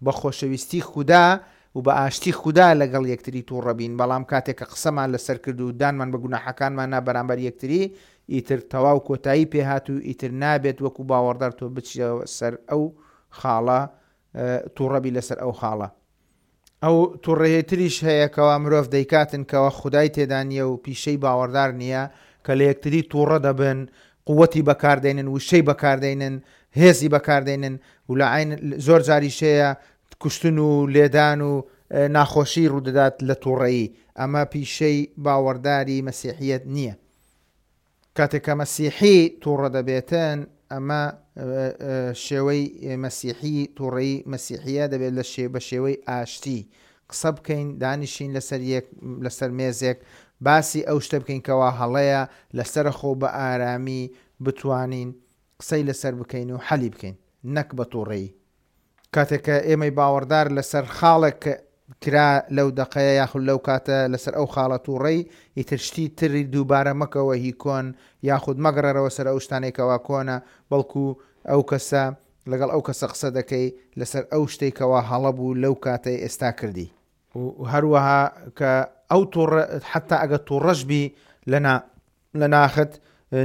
بە خۆشەویستی خودا و بە ئاشتی خودا لەگەڵ یەکتری توڕە بین، بەڵام کاتێک کە قسەمان لەسەر کرد و دانمان بە گوناحەکانمان نا بەرامبەر یەکتری، ئیتر تەواو کۆتایی پێ هات و ئیتر نابێت وەکو باوەڕدار تۆ بچیەوە سەر ئەو خاڵە توڕە بی لەسەر ئەو خاڵە. ئەو توڕەیەی تریش هەیە کەوا مرۆڤ دەیکاتن کەوا خودای تێدا نیە و پیشەی باوەڕدار نیە، کە لە یەکتری توڕە دەبن، قوەتی بەکار دەینن، وشەی بەکار دەینن، هێزی بەکار دەینن و لە عەین زۆر جاریش هەیە کوشتن و لێدان و ناخۆشی ڕوودەدات لە توڕەیی، ئەمە پیشەی باوەڕداری مەسیحیەت نیە. کاتێک کە مەسیحی توڕە دەبێتن ئەمە شێوەی مەسیحی توڕەیی مەسیحیە دەبێت لە شێ بە شێوەی ئاشتی قسە بکەین دانیشین لەسەر یەک لەسەر مێزێک باسی ئەو شتە بکەین کەوا هەڵەیە لەسەرەخۆ بە ئارامی بتوانین قسەی لەسەر بکەین و حەلی بکەین نەک بە توڕەیی. کاتێک کە ئێمەی باوەڕدار لەسەر خاڵێک کرا لەو دەقەیە یاخود لەو کاتە لەسەر ئەو خاڵە توڕەی ئیتر شتی تری دووبارە مەکەوە هی کۆن یاخود مەگەڕێرەوە سەر ئەو شتانەی کەوا کۆنە بەڵکو ئەو کەسە لەگەڵ ئەو کەسە قسە دەکەی لەسەر ئەو شتەی کەوا هەڵە بوو لەو کاتەی ئێستا کردی. و هەروەها کە ئەو توڕە حەتا ئەگەر توڕەش بی لە نا لە ناخت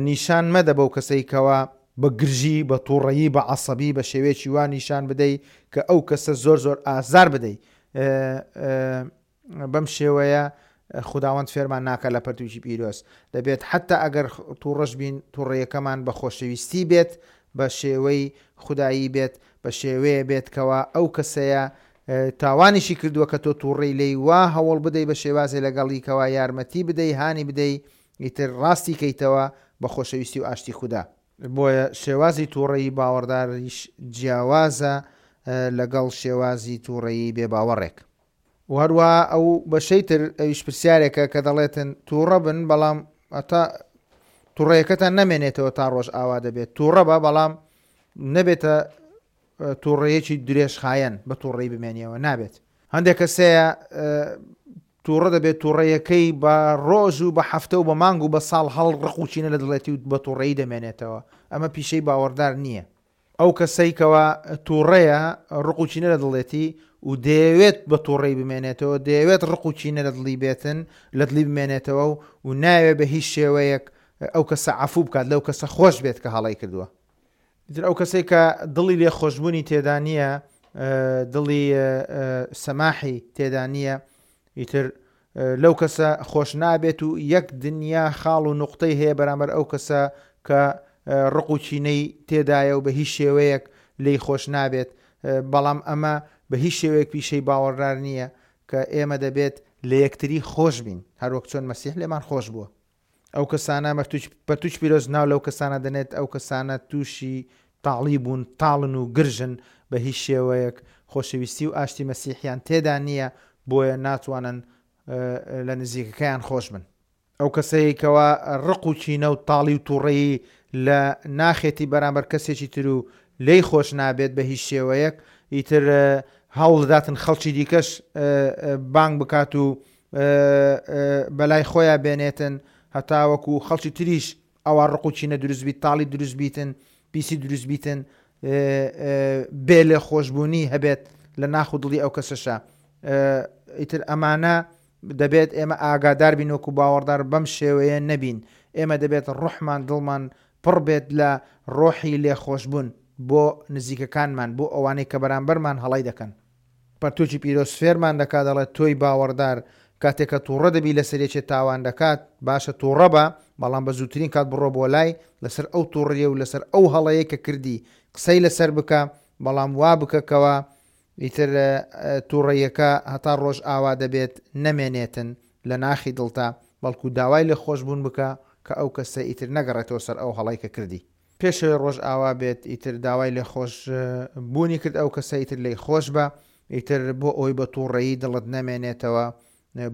نیشان مەدە بەو کەسەی کەوا بە گرژی، بە توڕەیی، بە عەسەبی، بە شێوەیەکی وا نیشان بدەی کە ئەو کەسە زۆر زۆر ئازار بدەی. بەم شێوەیە خوداوەند فێرمان ناکا لە پەرتووکی پیرۆز. دەبێت حەتا ئەگەر توڕەش بین، توڕەیەکەمان بە خۆشەویستی بێت، بە شێوەی خودایی بێت، بە شێوەیە بێت کەوا ئەو کەسەیە تاوانیشی کردووە کە تۆ توڕەی لێی وا هەوڵ بدەی بە شێوازێ لەگەڵی کەوا یارمەتی بدەی هانی بدەی ئیتر ڕاستی کەیتەوە بە خۆشەویستی و ئاشتی خودا. بۆیە شێوازی توڕەیی باوەڕداریش جیاوازە لەگەڵ شێوازی توڕەیی بێ باوەڕێک. و هەروەها ئەو بەشەی تر ئەویش پرسیارێکە کە دەڵێتن توڕە بن بەڵام هەتا توڕەیەکەتان نەمێنێتەوە تا ڕۆژ ئاوا دەبێت توڕە بە بەڵام نەبێتە توڕەیەکی درێژخایەن بە توڕەی بمێنیەوە نابێت. هەندێک کەس هەیە توڕە دەبێت توڕەیەکەی بە ڕۆژ و بە هەفتە و بە مانگ و بە ساڵ هەڵ ڕق و کینە لە دڵێتی و بە توڕەیی دەمێنێتەوە ئەمە پیشەی باوەڕدار نییە. ئەو کەسەی کەوا توڕەیە ڕق و کینە لە دڵێتی و دەیەوێت بە توڕەی بمێنێتەوە دەیەوێت ڕق و کینە لە دڵی بێتن لە دڵی بمێنێتەوە و نایەوێت بە هیچ شێوەیەک ئەو کەسە عەفوو بکات لەو کەسە خۆش بێت کە هەڵەی کردووە. ئیتر ئەو کەسەی کە دڵی لێخۆشبوونی تێدا نییە، دڵی سەماحی تێدا نییە، ئیتر لەو کەسە خۆش نابێت و یەک دنیا خاڵ و نوقتەی هەیە بەرامبەر ئەو کەسە کە ڕق و کینەی تێدایە و بە هیچ شێوەیەک لێی خۆش نابێت. بەڵام ئەمە بە هیچ شێوەیەک پیشەی باوەڕدار نییە کە ئێمە دەبێت لە یەکتری خۆش بین، هەروەک چۆن مەسیح لێمان خۆش بووە. ئەو کەسانە مەرتوچ پەرتوچ پیرۆز ناو لەو کەسانە دەنێت ئەو کەسانە تووشی تاڵی بوون تاڵن و گرژن بە هیچ شێوەیەک خۆشەویستی و ئاشتی مەسیحیان تێدا نییە بۆیە ناتوانن لە نزیکەکەیان خۆش بن. ئەو کەسەی کەوا ڕق و کینە و تاڵی و توڕەیی لە ناخێتی بەرامبەر کەسێکی تر و لێی خۆش نابێت بە هیچ شێوەیەک ئیتر هەوڵدەداتن خەڵکی دیکەش بانگ بکات و بەلای خۆیا بێنێتن هەتاوەکو خەڵکی تریش ئەوا ڕق و کینە دروست بیت تاڵی دروست بیتن پیسی دروست بیتن بێ لێ خۆشببوونی هەبێت لە ناخ و دڵی ئەو کەسەشە ئیتر ئەمانە دەبێت ئێمە ئاگادار بین وەکو باوەڕدار بەم شێوەیە نەبین. ئێمە دەبێت ڕۆحمان دڵمان پڕ بێت لە ڕۆحی لێخۆشبوون بۆ نزیکەکانمان بۆ ئەوانەی کە بەرامبەرمان هەڵەی دەکەن. پەرتوکی پیرۆز فێرمان دەکات دەڵێت تۆی باوەڕدار کاتێک کە توڕە دەبی لەسەر یەکێ تاوان دەکات باشە توڕە بە بەڵام بە زووترین کات بڕۆ بۆ لای لەسەر ئەو توڕیە و لەسەر ئەو هەڵەیە کە کردی قسەی لەسەر بکە بەڵام وا بکە کەوا ئیتر توڕەیەکە هەتا ڕۆژ ئاوا دەبێت نەمێنێتن لە ناخی دڵتا بەڵکو داوای لێ خۆش بوون بکە کە ئەو کەسە ئیتر نەگەڕێتەوە سەر ئەو هەڵەی کە کردی. پێش ئەوەی ڕۆژ ئاوا بێت ئیتر داوای لێ خۆش بوونی کرد ئەو کەسە ئیتر لێی خۆش بە ئیتر بۆ ئەوەی بە توڕەیی دڵت نەمێنێتەوە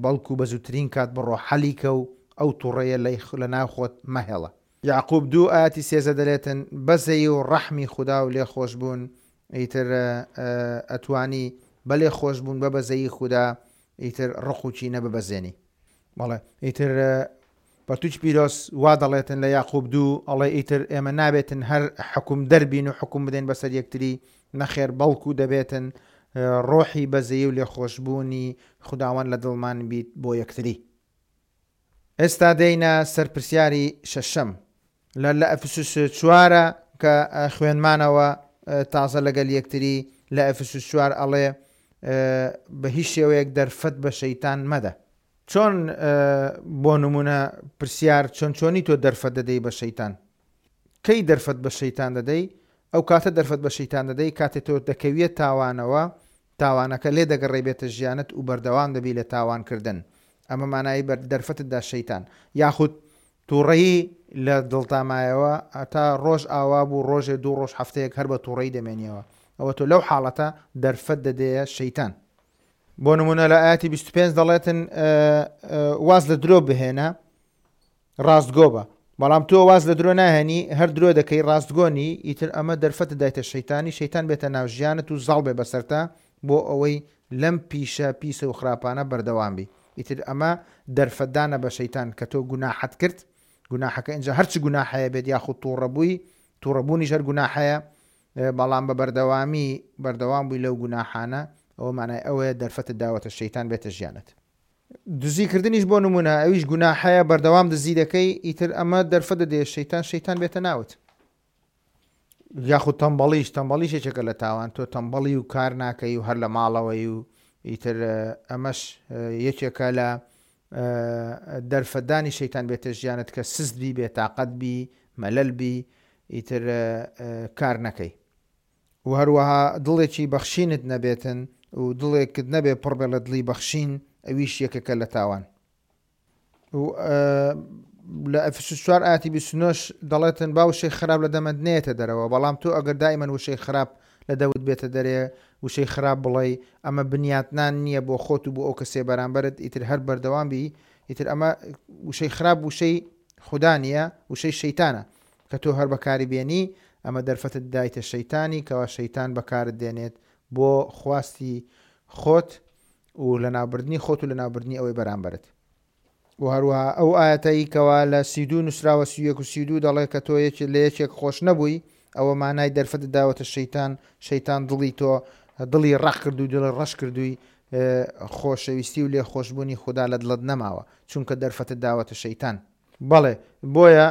بەڵکو بە زووترین کات بڕۆ حەلی کە و ئەو توڕەیە لە ناو خۆت مەهێڵە. یەعقوب دوو ئایەتی 13 دەلێتن، بەزەیی و ڕەحمی خودا و لێخۆشبوون، ئیتر ئەتوانی بە لێخۆشبوون بە بەزەیی خودا ئیتر ڕق و کینە ببەزێنی. بەڵێ ئیتر پەرتوکی پیرۆز وا دەڵێتن لە یاقوب دوو ئەڵێ ئیتر ئێمە نابێتن هەر حکوم دەربین و حکوم بدەین بەسەر یەکتری نەخێر بەڵکو دەبێتن ڕۆحی بەزەیی و لێخۆشبوونی خوداوەند لە دڵمان بیت بۆ یەکتری. ئێستا دێینە سەر پرسیاری شەشەم. لە لە ئەفسوس چوارە کە خوێنمانەوە تازە لەگەل یەکتری لە ئەفسوس چوار ئەڵێ بە هیچ شێوەیەک دەرفەت بە شەیتان مەدە. چۆن بۆ نمونە پرسیار چۆن چۆنی تۆ دەرفەت دەدەی بە شەیتان؟ کەی دەرفەت بە شەیتان دەدەی؟ ئەو کاتە دەرفەت بە شەیتان دەدەی کاتێ تۆ دەکەویە تاوانەوە تاوانەکە لێ دەگەڕێی بێتە ژیانت و بەردەوام دەبی لە تاوان کردن ئەمە مانای بەر دەرفەتت دا شەیتان یاخود توڕەیی لە دڵتا مایەوە هەتا ڕۆژ ئاوا بوو ڕۆژێ دوو ڕۆژ هەفتەیەک هەر بە توڕەیی دەمێنیەوە ئەوە تۆ لەو حاڵەتە دەرفەت دەدەیە شەیتان. بۆ نمونە لە ئایەتی 25 دەڵێتن واز لە درۆ بهێنە ڕاستگۆ بە بەڵام تۆ واز لە درۆ ناهێنی هەر درۆ دەکەی ڕاستگۆ نی ئیتر ئەمە دەرفەتت دایتە شەیتانی شەیتان بێتە ناو ژیانت و زاڵ بێ بەسەرتا بۆ ئەوەی لەم پیشە پیسە و خراپانە بەردەوام بی ئیتر ئەمە دەرفەتدانە بە شەیتان کە تۆ گوناحت کرد گوناحەکە ئینجا هەرچ گوناحەیە بێت یاخود توڕە بووی توڕەبوونیش هەر گوناحەیە بەڵام بە بەردەوامی بەردەوام بووی لەو گوناحانە ئەوە مانای ئەوەیە دەرفەتت داوەتە شەیتان بێتە ژیانت. دزی کردنیش بۆ نمونە ئەویش گوناحەیە بەردەوام دزی دەکەی ئیتر ئەمە دەرفەت دەدەیە شەیتان شەیتان بێتە ناوت یاخود تەمبەڵیش تەمبەڵیش یەکێکە لە تاوان تۆ تەمبەڵی و کار ناکەی و هەر لە ماڵەوەی و ئیتر ئەمەش یەکێکە لە دەرفەتدانی شەیتان بێتە ژیانت کە سست بی بێتاقەت بی مەلەل بی ئیتر کار نەکەی. و هەروەها دڵێکی بەخشینت نەبێتن و دڵێکت نەبێ پڕ بێ لە دڵی بەخشین ئەویش یەکێکە لە تاوان. و لە ئەفسوس چوار ئاتی 29 دەڵێتن با وشەی خراپ لە دەمت نێتە دەرەوە بەڵام تۆ ئەگەر دائیمەن وشەی خراپ لە دەوت بێتە دەرێ وشەی خراپ بڵێی ئەمە بنیاتنان نییە بۆ خۆت و بۆ ئەو کەسێ بەرامبەرت ئیتر هەر بەردەوام بی ئیتر ئەمە وشەی خراپ وشەی خودا نییە وشەی شەیتانە کە تۆ هەر بەکاری بێنی ئەمە دەرفەتت دایتە شەیتانی کەوا شەیتان بەکارت دێنێت بۆ خواستی خۆت و لەناوبردنی خۆت و لەناوبردنی ئەوەی بەرامبەرت. و هەروەها ئەو ئایەتەی کەوا لە 32 نووسراوە 31 و 32 دەڵێ کە تۆ یەکێ لە یەکێک خۆش نەبووی ئەوە مانای دەرفەتت داوەتە شەیتان شەیتان دڵی تۆ دڵی ڕەق کردووی دڵی ڕەش کردووی خۆشەویستی و لێخۆشبوونی خودا لە دڵت نەماوە چونکە دەرفەتت داوەتە شەیتان. بەڵێ بۆیە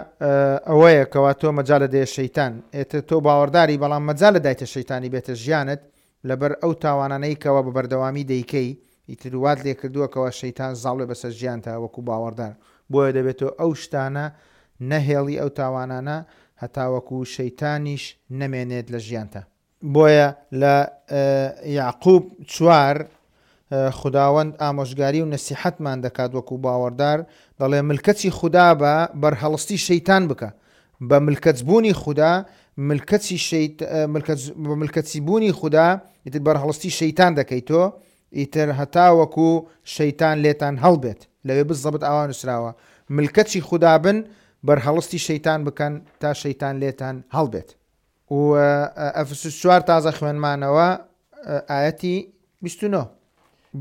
ئەوەیە کەوا تۆ مەجالە دەیە شەیتان ئێتر تۆ باوەڕداری بەڵام مەجالە دایتە شەیتانی بێتە ژیانت لەبەر ئەو تاوانانەی کەوا بە بەردەوامی دەیکەی ئیتر وات لێکردووە کەوا شەیتان زاڵ بێ بەسەر ژیانتا وەکو باوەڕدار بۆیە دەبێت تۆ ئەو شتانە نەهێڵی ئەو تاوانانە هەتاوەکو شەیتانیش نەمێنێت لە ژیانتا. بۆیە لە یەعقوب چوار خوداوەند ئامۆژگاری و نەسیحەتمان دەکات وەکو باوەڕدار دەڵێ ملکەچی خودا بە بەرهەڵستی شەیتان بکە بە ملکەچ بوونی خودا ملکەچی شەیت ملکەچ بە ملکەچی بوونی خودا ئیتر بەرهەڵستی شەیتان دەکەی تۆ ئیتر هەتاوەکو شەیتان لێتان هەڵبێت لەوێ بزەبت ئاوا نووسراوە ملکەچی خودا بن بەرهەڵستی شەیتان بکەن تا شەیتان لێتان هەڵبێت. و ئەفسوس چوار تازە خوێنمانەوە ئایەتی 29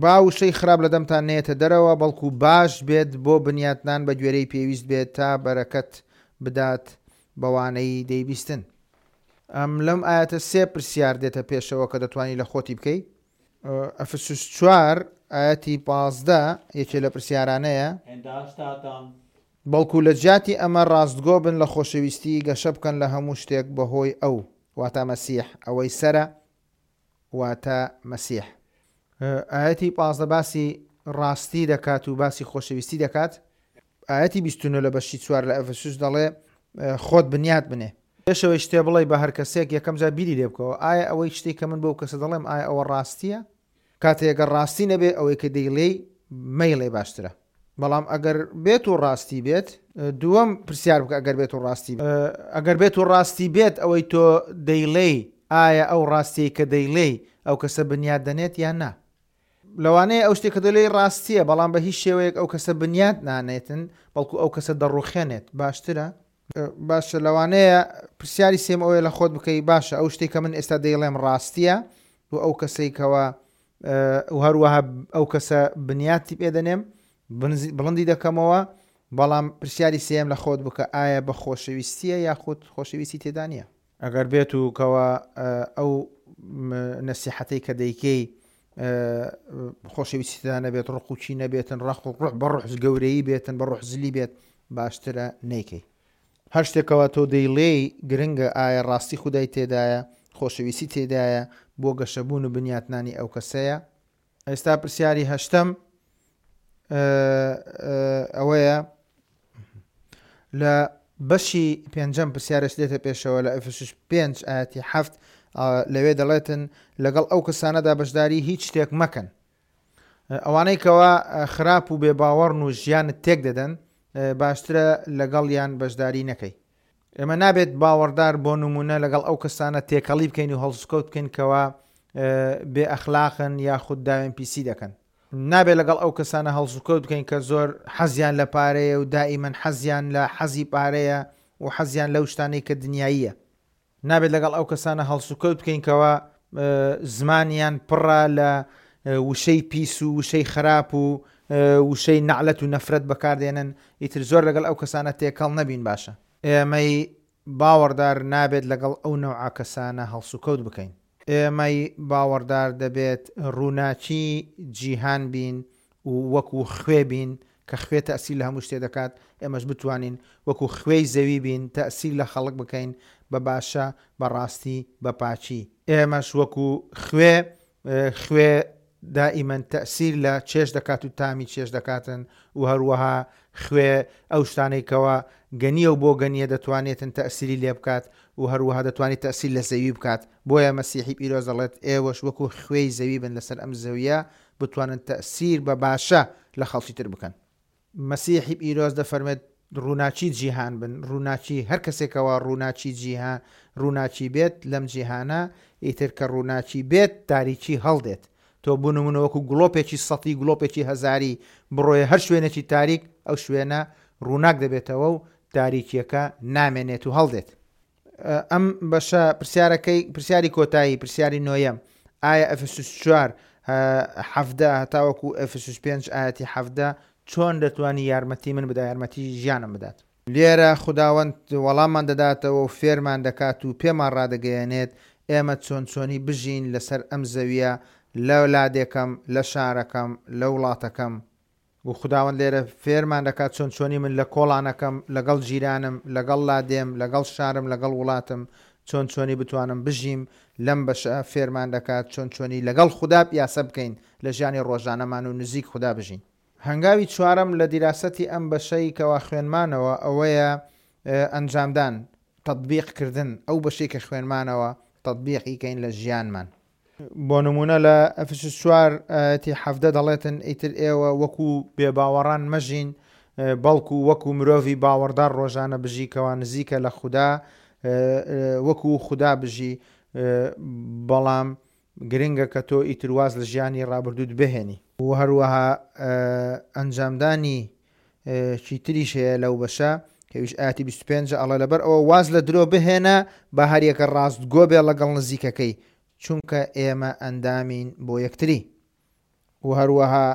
با وشەی خراپ لە دەمتان نێتە دەرەوە بەڵکو باش بێت بۆ بنیاتنان بە گوێرەی پێویست بێت تا بەرەکەت بدات بەوانەی دەیبیستن. ئەم لەم ئایەتە سێ پرسیار دێتە پێشەوە کە دەتوانی لە خۆتی بکەی. ئەفسوس چوار ئایەتی 15 یەکێ لە پرسیارانەیە. En daar staat dan. بەڵکو لە جیاتی ئەمە ڕاستگۆ بن لە خۆشەویستی، گەشە بکەن لە هەموو شتێک بەهۆی ئەو، واتە مەسیح، ئەوەی سەرە، واتە مەسیح. ئایەتی 15 باسی ڕاستی دەکات و باسی خۆشەویستی دەکات. ئایەتی 29 لە بەشی چوار لە ئەفەسوس دەڵێ خۆت بنیات بنێ. پێش ئەوەی شتێ بڵێی بە هەر کەسێک یەکەم جار بیری لێ بکەوە ئایا ئەوەی شتێک کە من بەو کەسە دەڵێم ئایا ئەوە ڕاستیە؟ کاتێ گەر ڕاستی نەبێ ئەوەی کە دەیڵێی مەیڵێ باشترە. بەڵام ئەگەر بێت و ڕاستی بێت دووەم پرسیار بکە ئەگەر بێت و ڕاستی ئەگەر بێت و ڕاستی بێت ئەوەی تۆ دەیڵێی ئایا ئەو ڕاستیەی کە دەیڵێی ئەو کەسە بنیات دەنێت یان نا؟ لەوانەیە ئەو شتێک کە دەلێی ڕاستیە بەڵام بە هیچ شێوەیەک ئەو کەسە بنیات نانێتن بەڵکو ئەو کەسە دەڕوخێنێت باشترە باشە لەوانەیە پرسیاری سێم ئەوەیە لە خۆت بکەی باشە ئەو شتێک کە من ئێستا دەیڵێم ڕاستیە و ئەو کەسەی کەەوە و هەروەها ئەو کەسە بنیاتی پێ دەنێم بڵندی دەکەمەوە بەڵام پرسیاری سێم لە خۆت بکە ئایا بە خۆشەویستیە یاخود خۆشەویستی تێدا نییە ئەگەر بێت و کەوا ئەو نەسیحەتەی کە دەیکەی خۆشەویستی تێدا نەبێت ڕق و چی نەبێتن ڕق و ڕح بە ڕح گەورەی بێتن بە ڕح زلی بێت باشترە نەیکەی هەر شتێکەوە تۆ دەیڵێی گرنگە ئایا ڕاستی خودای تێدایە خۆشەویستی تێدایە بۆ گەشەبوون و بنیاتنانی ئەو کەسەیە ئێستا پرسیاری هەشتەم ئەوەیە لە بەشی پێنجەم پرسیارش دێتە پێشەوە لە ئەفسوس پێنج ئاەتی هەفت لەوێ دەڵێتن لەگەڵ ئەو کەسانەدا بەشداری هیچ شتێک مەکەن ئەوانەی کەوا خراپ و بێباوەڕن و ژیانت تێک دەدەن باشترە لەگەڵیان بەشداری نەکەی ئێمە نابێت باوەڕدار بۆ نمونە لەگەڵ ئەو کەسانە تێکەڵی بکەین و هەڵسوکەوت بکەین کەوا بێ ئەخلاقن یاخود داوێن پیسی دەکەن. نابێت لەگەڵ ئەو کەسانە هەڵسوکەوت بکەین کە زۆر حەزیان لە پارەیە و دائیمەن حەزیان لە حەزی پارەیە و حەزیان لەو شتانەی کە دنیاییە. نابێت لەگەڵ ئەو کەسانە هەڵسوکەوت بکەین کەوا زمانیان پڕە لە وشەی پیس و وشەی خراپ و وشەی نەعلەت و نەفرەت بەکاردێنن، ئیتر زۆر لەگەڵ ئەو کەسانە تێکەڵ نەبین باشە. ئێمەی باوەڕدار نابێت لەگەڵ ئەو نەوعە کەسانە هەڵسوکەوت بکەین. ئێمەی باوەڕدار دەبێت ڕووناکی جیهان بین و وەکو خوێ بین کە خوێ تەئسیر لە هەموو شتێ دەکات، ئێمەش بتوانین وەکو خوێی زەوی بین تەئسیر لە خەڵک بکەین بە باشە، بە ڕاستی، بە پاکی. ئێمەش وەکو خوێ، خوێ دائیمەن تەئسیر لە چێژ دەکات و تامی چێژ دەکاتن و هەروەها خوێ ئەو شتانەی کەوا گەنیە و بۆگەنیە دەتوانێتن تەئسیری لێ بکات و هەروەها دەتوانێت تەئسیر لە زەوی بکات بۆیە مەسیحی پیرۆز دەڵێت ئێوەش وەکو خوێی زەوی بن لەسەر ئەم زەویە بتوانن تەئسیر بە باشە لە خەڵکی تر بکەن. مەسیحی پیرۆز دەفەرمێت ڕووناکی جیهان بن، ڕووناکی هەر کەسێکەوە ڕووناکی جیهان ڕووناکی بێت لەم جیهانە ئیتر کە ڕووناکی بێت تاریکی هەڵدێت تۆ بۆ نمونە وەکو گڵۆپێکی سەتی گڵۆپێکی هەزاری بڕۆیە هەر شوێنێکی تاریک ئەو شوێنە ڕووناک دەبێتەوە و تاریکیەکە نامێنێت و هەڵدێت. ئەم بەشە پرسیارەکەی پرسیاری کۆتایی پرسیاری نۆیەم ئایا ئەفسوس چوار حەفدە هەتاوەکو ئەفسوس پێنج ئاەتی حەفدە چۆن دەتوانی یارمەتی من بدا یارمەتی ژیانم بدات لێرە خوداوەند وەڵاممان دەداتەوە و فێرمان دەکات و پێمان ڕادەگەیەنێت ئێمە چۆن چۆنی بژین لەسەر ئەم زەویە لە لادێکەم لە شارەکەم لە وڵاتەکەم و خوداوەند لێرە فێرمان دەکات چۆن چۆنی من لە کۆڵانەکەم، لەگەڵ جیرانم، لەگەڵ لادێم، لەگەڵ شارم، لەگەڵ وڵاتم چۆن چۆنی بتوانم بژیم، لەم بەشە فێرمان دەکات چۆن چۆنی لەگەڵ خودا پیاسە بکەین لە ژیانی ڕۆژانەمان و نزیک خودا بژین. هەنگاوی چوارەم لە دیراسەتی ئەم بەشەی کەوا خوێنمانەوە ئەوەیە ئەنجامدان، تطبیق کردن، ئەو بەشەی کە خوێنمانەوە تطبیقی کەین لە ژیانمان. بۆ نموونە لە ئەفسوس چوار ئایەتی 17 دەڵێتن ئیتر ئێوە وەکو بێباوەڕان مەژین بەڵکو وەکو مرۆڤی باوەڕدار ڕۆژانە بژی کەوا نزیکە لە خودا وەکو خودا بژی بەڵام گرنگە کە تۆ ئیتر واز لە ژیانی ڕابردووت بهێنی. و هەروەها ئەنجامدانی چی تریش هەیە لەو بەشە کە ئەویش ئایەتی 25 ئەڵێ لەبەر ئەوە واز لە درۆ بهێنە با هەریەکە ڕاستگۆ بێ ڵەگەڵ نزیکەکەی چونکە ئێمە ئەندامین بۆ یەکتری و هەروەها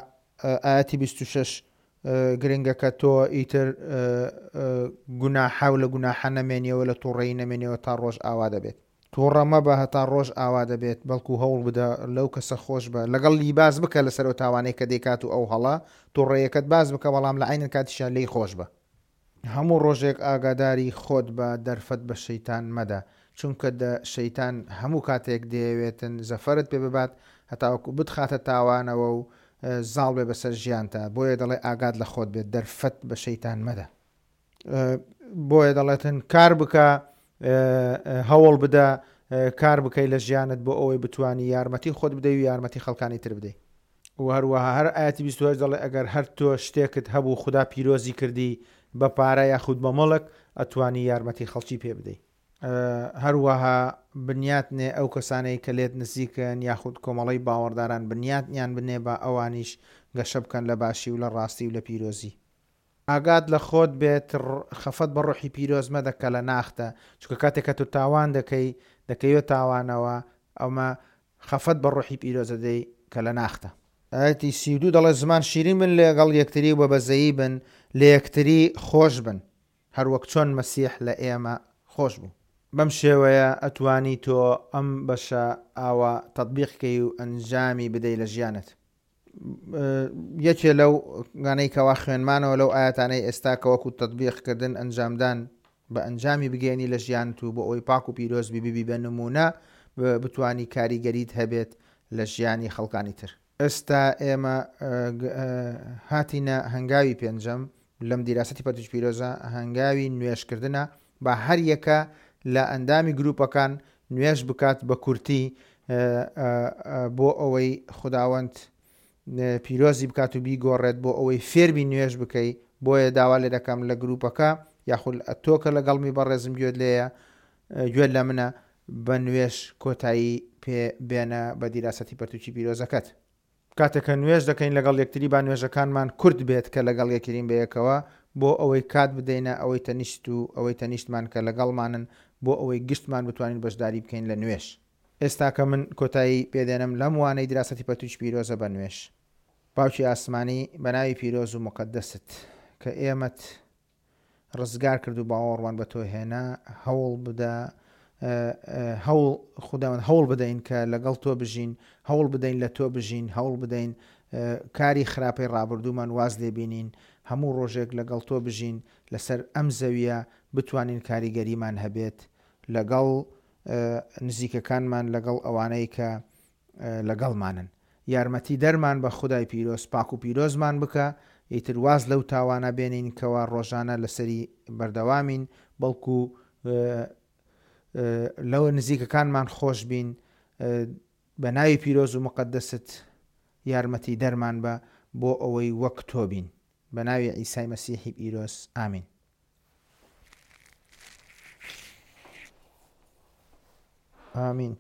ئایەتی 26 گرنگە کە تۆ ئیتر گوناحە و لە گوناحە نەمێنیەوە لە توڕەیی نەمێنیەوە تا ڕۆژ ئاوا دەبێت. توڕە مەبە هەتا ڕۆژ ئاوا دەبێت بەڵکو هەوڵ بدە لەو کەسە خۆش بە لەگەڵ لی باس بکە لەسەر ئەو تاوانەی کە دەیکات و ئەو هەڵە توڕەیەکەت باس بکە بەڵام لە عەینەن کاتیشا لێی خۆش بە. هەموو ڕۆژێک ئاگاداری خۆت بە دەرفەت بە شەیتان مەدە چونکە دە شەیتان هەموو کاتێک دەیەوێتن زەفەرت پێ ببات هەتاوەکو بتخاتە تاوانەوە و زاڵ بێ بەسەر ژیانتا بۆیە دەڵێ ئاگات لە خۆت بێت دەرفەت بە شەیتان مەدە. بۆیە دەڵێتن کار بکە هەوڵ بدە کار بکەی لە ژیانت بۆ ئەوەی بتانی یارمەتی خۆت بدەی و یارمەتی خەڵکانی تر بدەیت و هەروەها هەر ئاەتی 28 دەڵێ ئەگەر هەر تۆ شتێکت هەبوو خوددا پیرۆزی کردی بە پارە یاخود بە مەڵک ئەتوانی یارمەتی خەڵکی پێ بدەیت هەروەها بنیات نێ ئەو کەسانەی کە لێت نزیکن یاخود کۆمەڵەی باوەڕداران بنیاتیان بنێ با ئەوانیش گەشە بکەن لە باشی و لە ڕاستی و لە پیرۆزی. ئاگات لە خۆت بێت خەفەت بە ڕۆحی پیرۆز مەدە کە لە ناختە چونکە کاتێک کە تۆ تاوان دەکەی دەکەویە تاوانەوە ئەمە خەفەت بە ڕۆحی پیرۆز دەدەی کە لە ناختە. ئایەتی 32 دەڵێ زمان شیرین بن لەگەڵ یەکتری و بە بەزەیی بن لە یەکتری خۆش بن هەروەک چۆن مەسیح لە ئێمە خۆش بوو. بەم شێوەیە ئەتوانی تۆ ئەم بەشە ئاوا تەتبیق کەی و ئەنجامی بدەی لە ژیانت. یەکێ لەو گانەی کەوا خوێنمانەوە لەو ئایەتانەی ئێستا کە وەکو تەتبیق کردن ئەنجامدان بە ئەنجامی بگەیەنی لە ژیانت و بۆ ئەوەی پاک و پیرۆز بی ببی بە نموونە بتوانی کاریگەریت هەبێت لە ژیانی خەڵکانی تر. ئێستا ئێمە هاتینە هەنگاوی پێنجەم لەم دیراسەتی پەرتوکی پیرۆزە، هەنگاوی نوێژکردنە، با هەر یەکە لە ئەندامی گروپەکان نوێژ بکات بە کورتی بۆ ئەوەی خوداوەند پیرۆزی بکات و بیگۆڕێت بۆ ئەوەی فێربی نوێژ بکەی، بۆیە داوا لێ دەکەم لە گروپەکە یاخود تۆ کە لەگەڵمی بەڕێزم گوێت لێیە گوێت لە منە بە نوێژ کۆتایی پێ بێنە بە دیراسەتی پەرتوکی پیرۆزەکەت. کاتێک کە نوێژ دەکەین لەگەڵ یەکتری با نوێژەکانمان کورت بێت کە لەگەڵ یەکترین بەیەکەوە بۆ ئەوەی کات بدەینە ئەوەی تەنیشت و ئەوەی تەنیشتمان کە لەگەڵمانن بۆ ئەوەی گشتمان بتوانین بەشداری بکەین لە نوێژ. ئێستا کە من کۆتایی پێدێنم لەم وانەی دراسەتی پەرتوکی پیرۆزە بە نوێژ. باوکی ئاسمانی بەناوی پیرۆز و موقەدەست کە ئێمەت ڕزگار کرد و باوەڕمان بە تۆ هێنا هەوڵ بدە هەوڵ خوداوەند هەوڵ بدەین کە لەگەڵ تۆ بژین هەوڵ بدەین لە تۆ بژین هەوڵ بدەین کاری خراپەی ڕابردوومان واز لێ بینین هەموو ڕۆژێک لەگەڵ تۆ بژین لەسەر ئەم زەویە بتوانین کاریگەریمان هەبێت لەگەڵ نزیکەکانمان لەگەڵ ئەوانەی کە لەگەڵمانن یارمەتی دەرمان بە خودای پیرۆز پاک و پیرۆزمان بکە ئیتر واز لەو تاوانە بێنین کەوا ڕۆژانە لەسەری بەردەوامین بەڵکو لەوە نزیکەکانمان خۆش بین بە ناوی پیرۆز و مقدست یارمەتی دەرمان بە بۆ ئەوەی وەک تۆ بین بە ناوی عیسای مەسیحی پیرۆز ئامین. ئامین.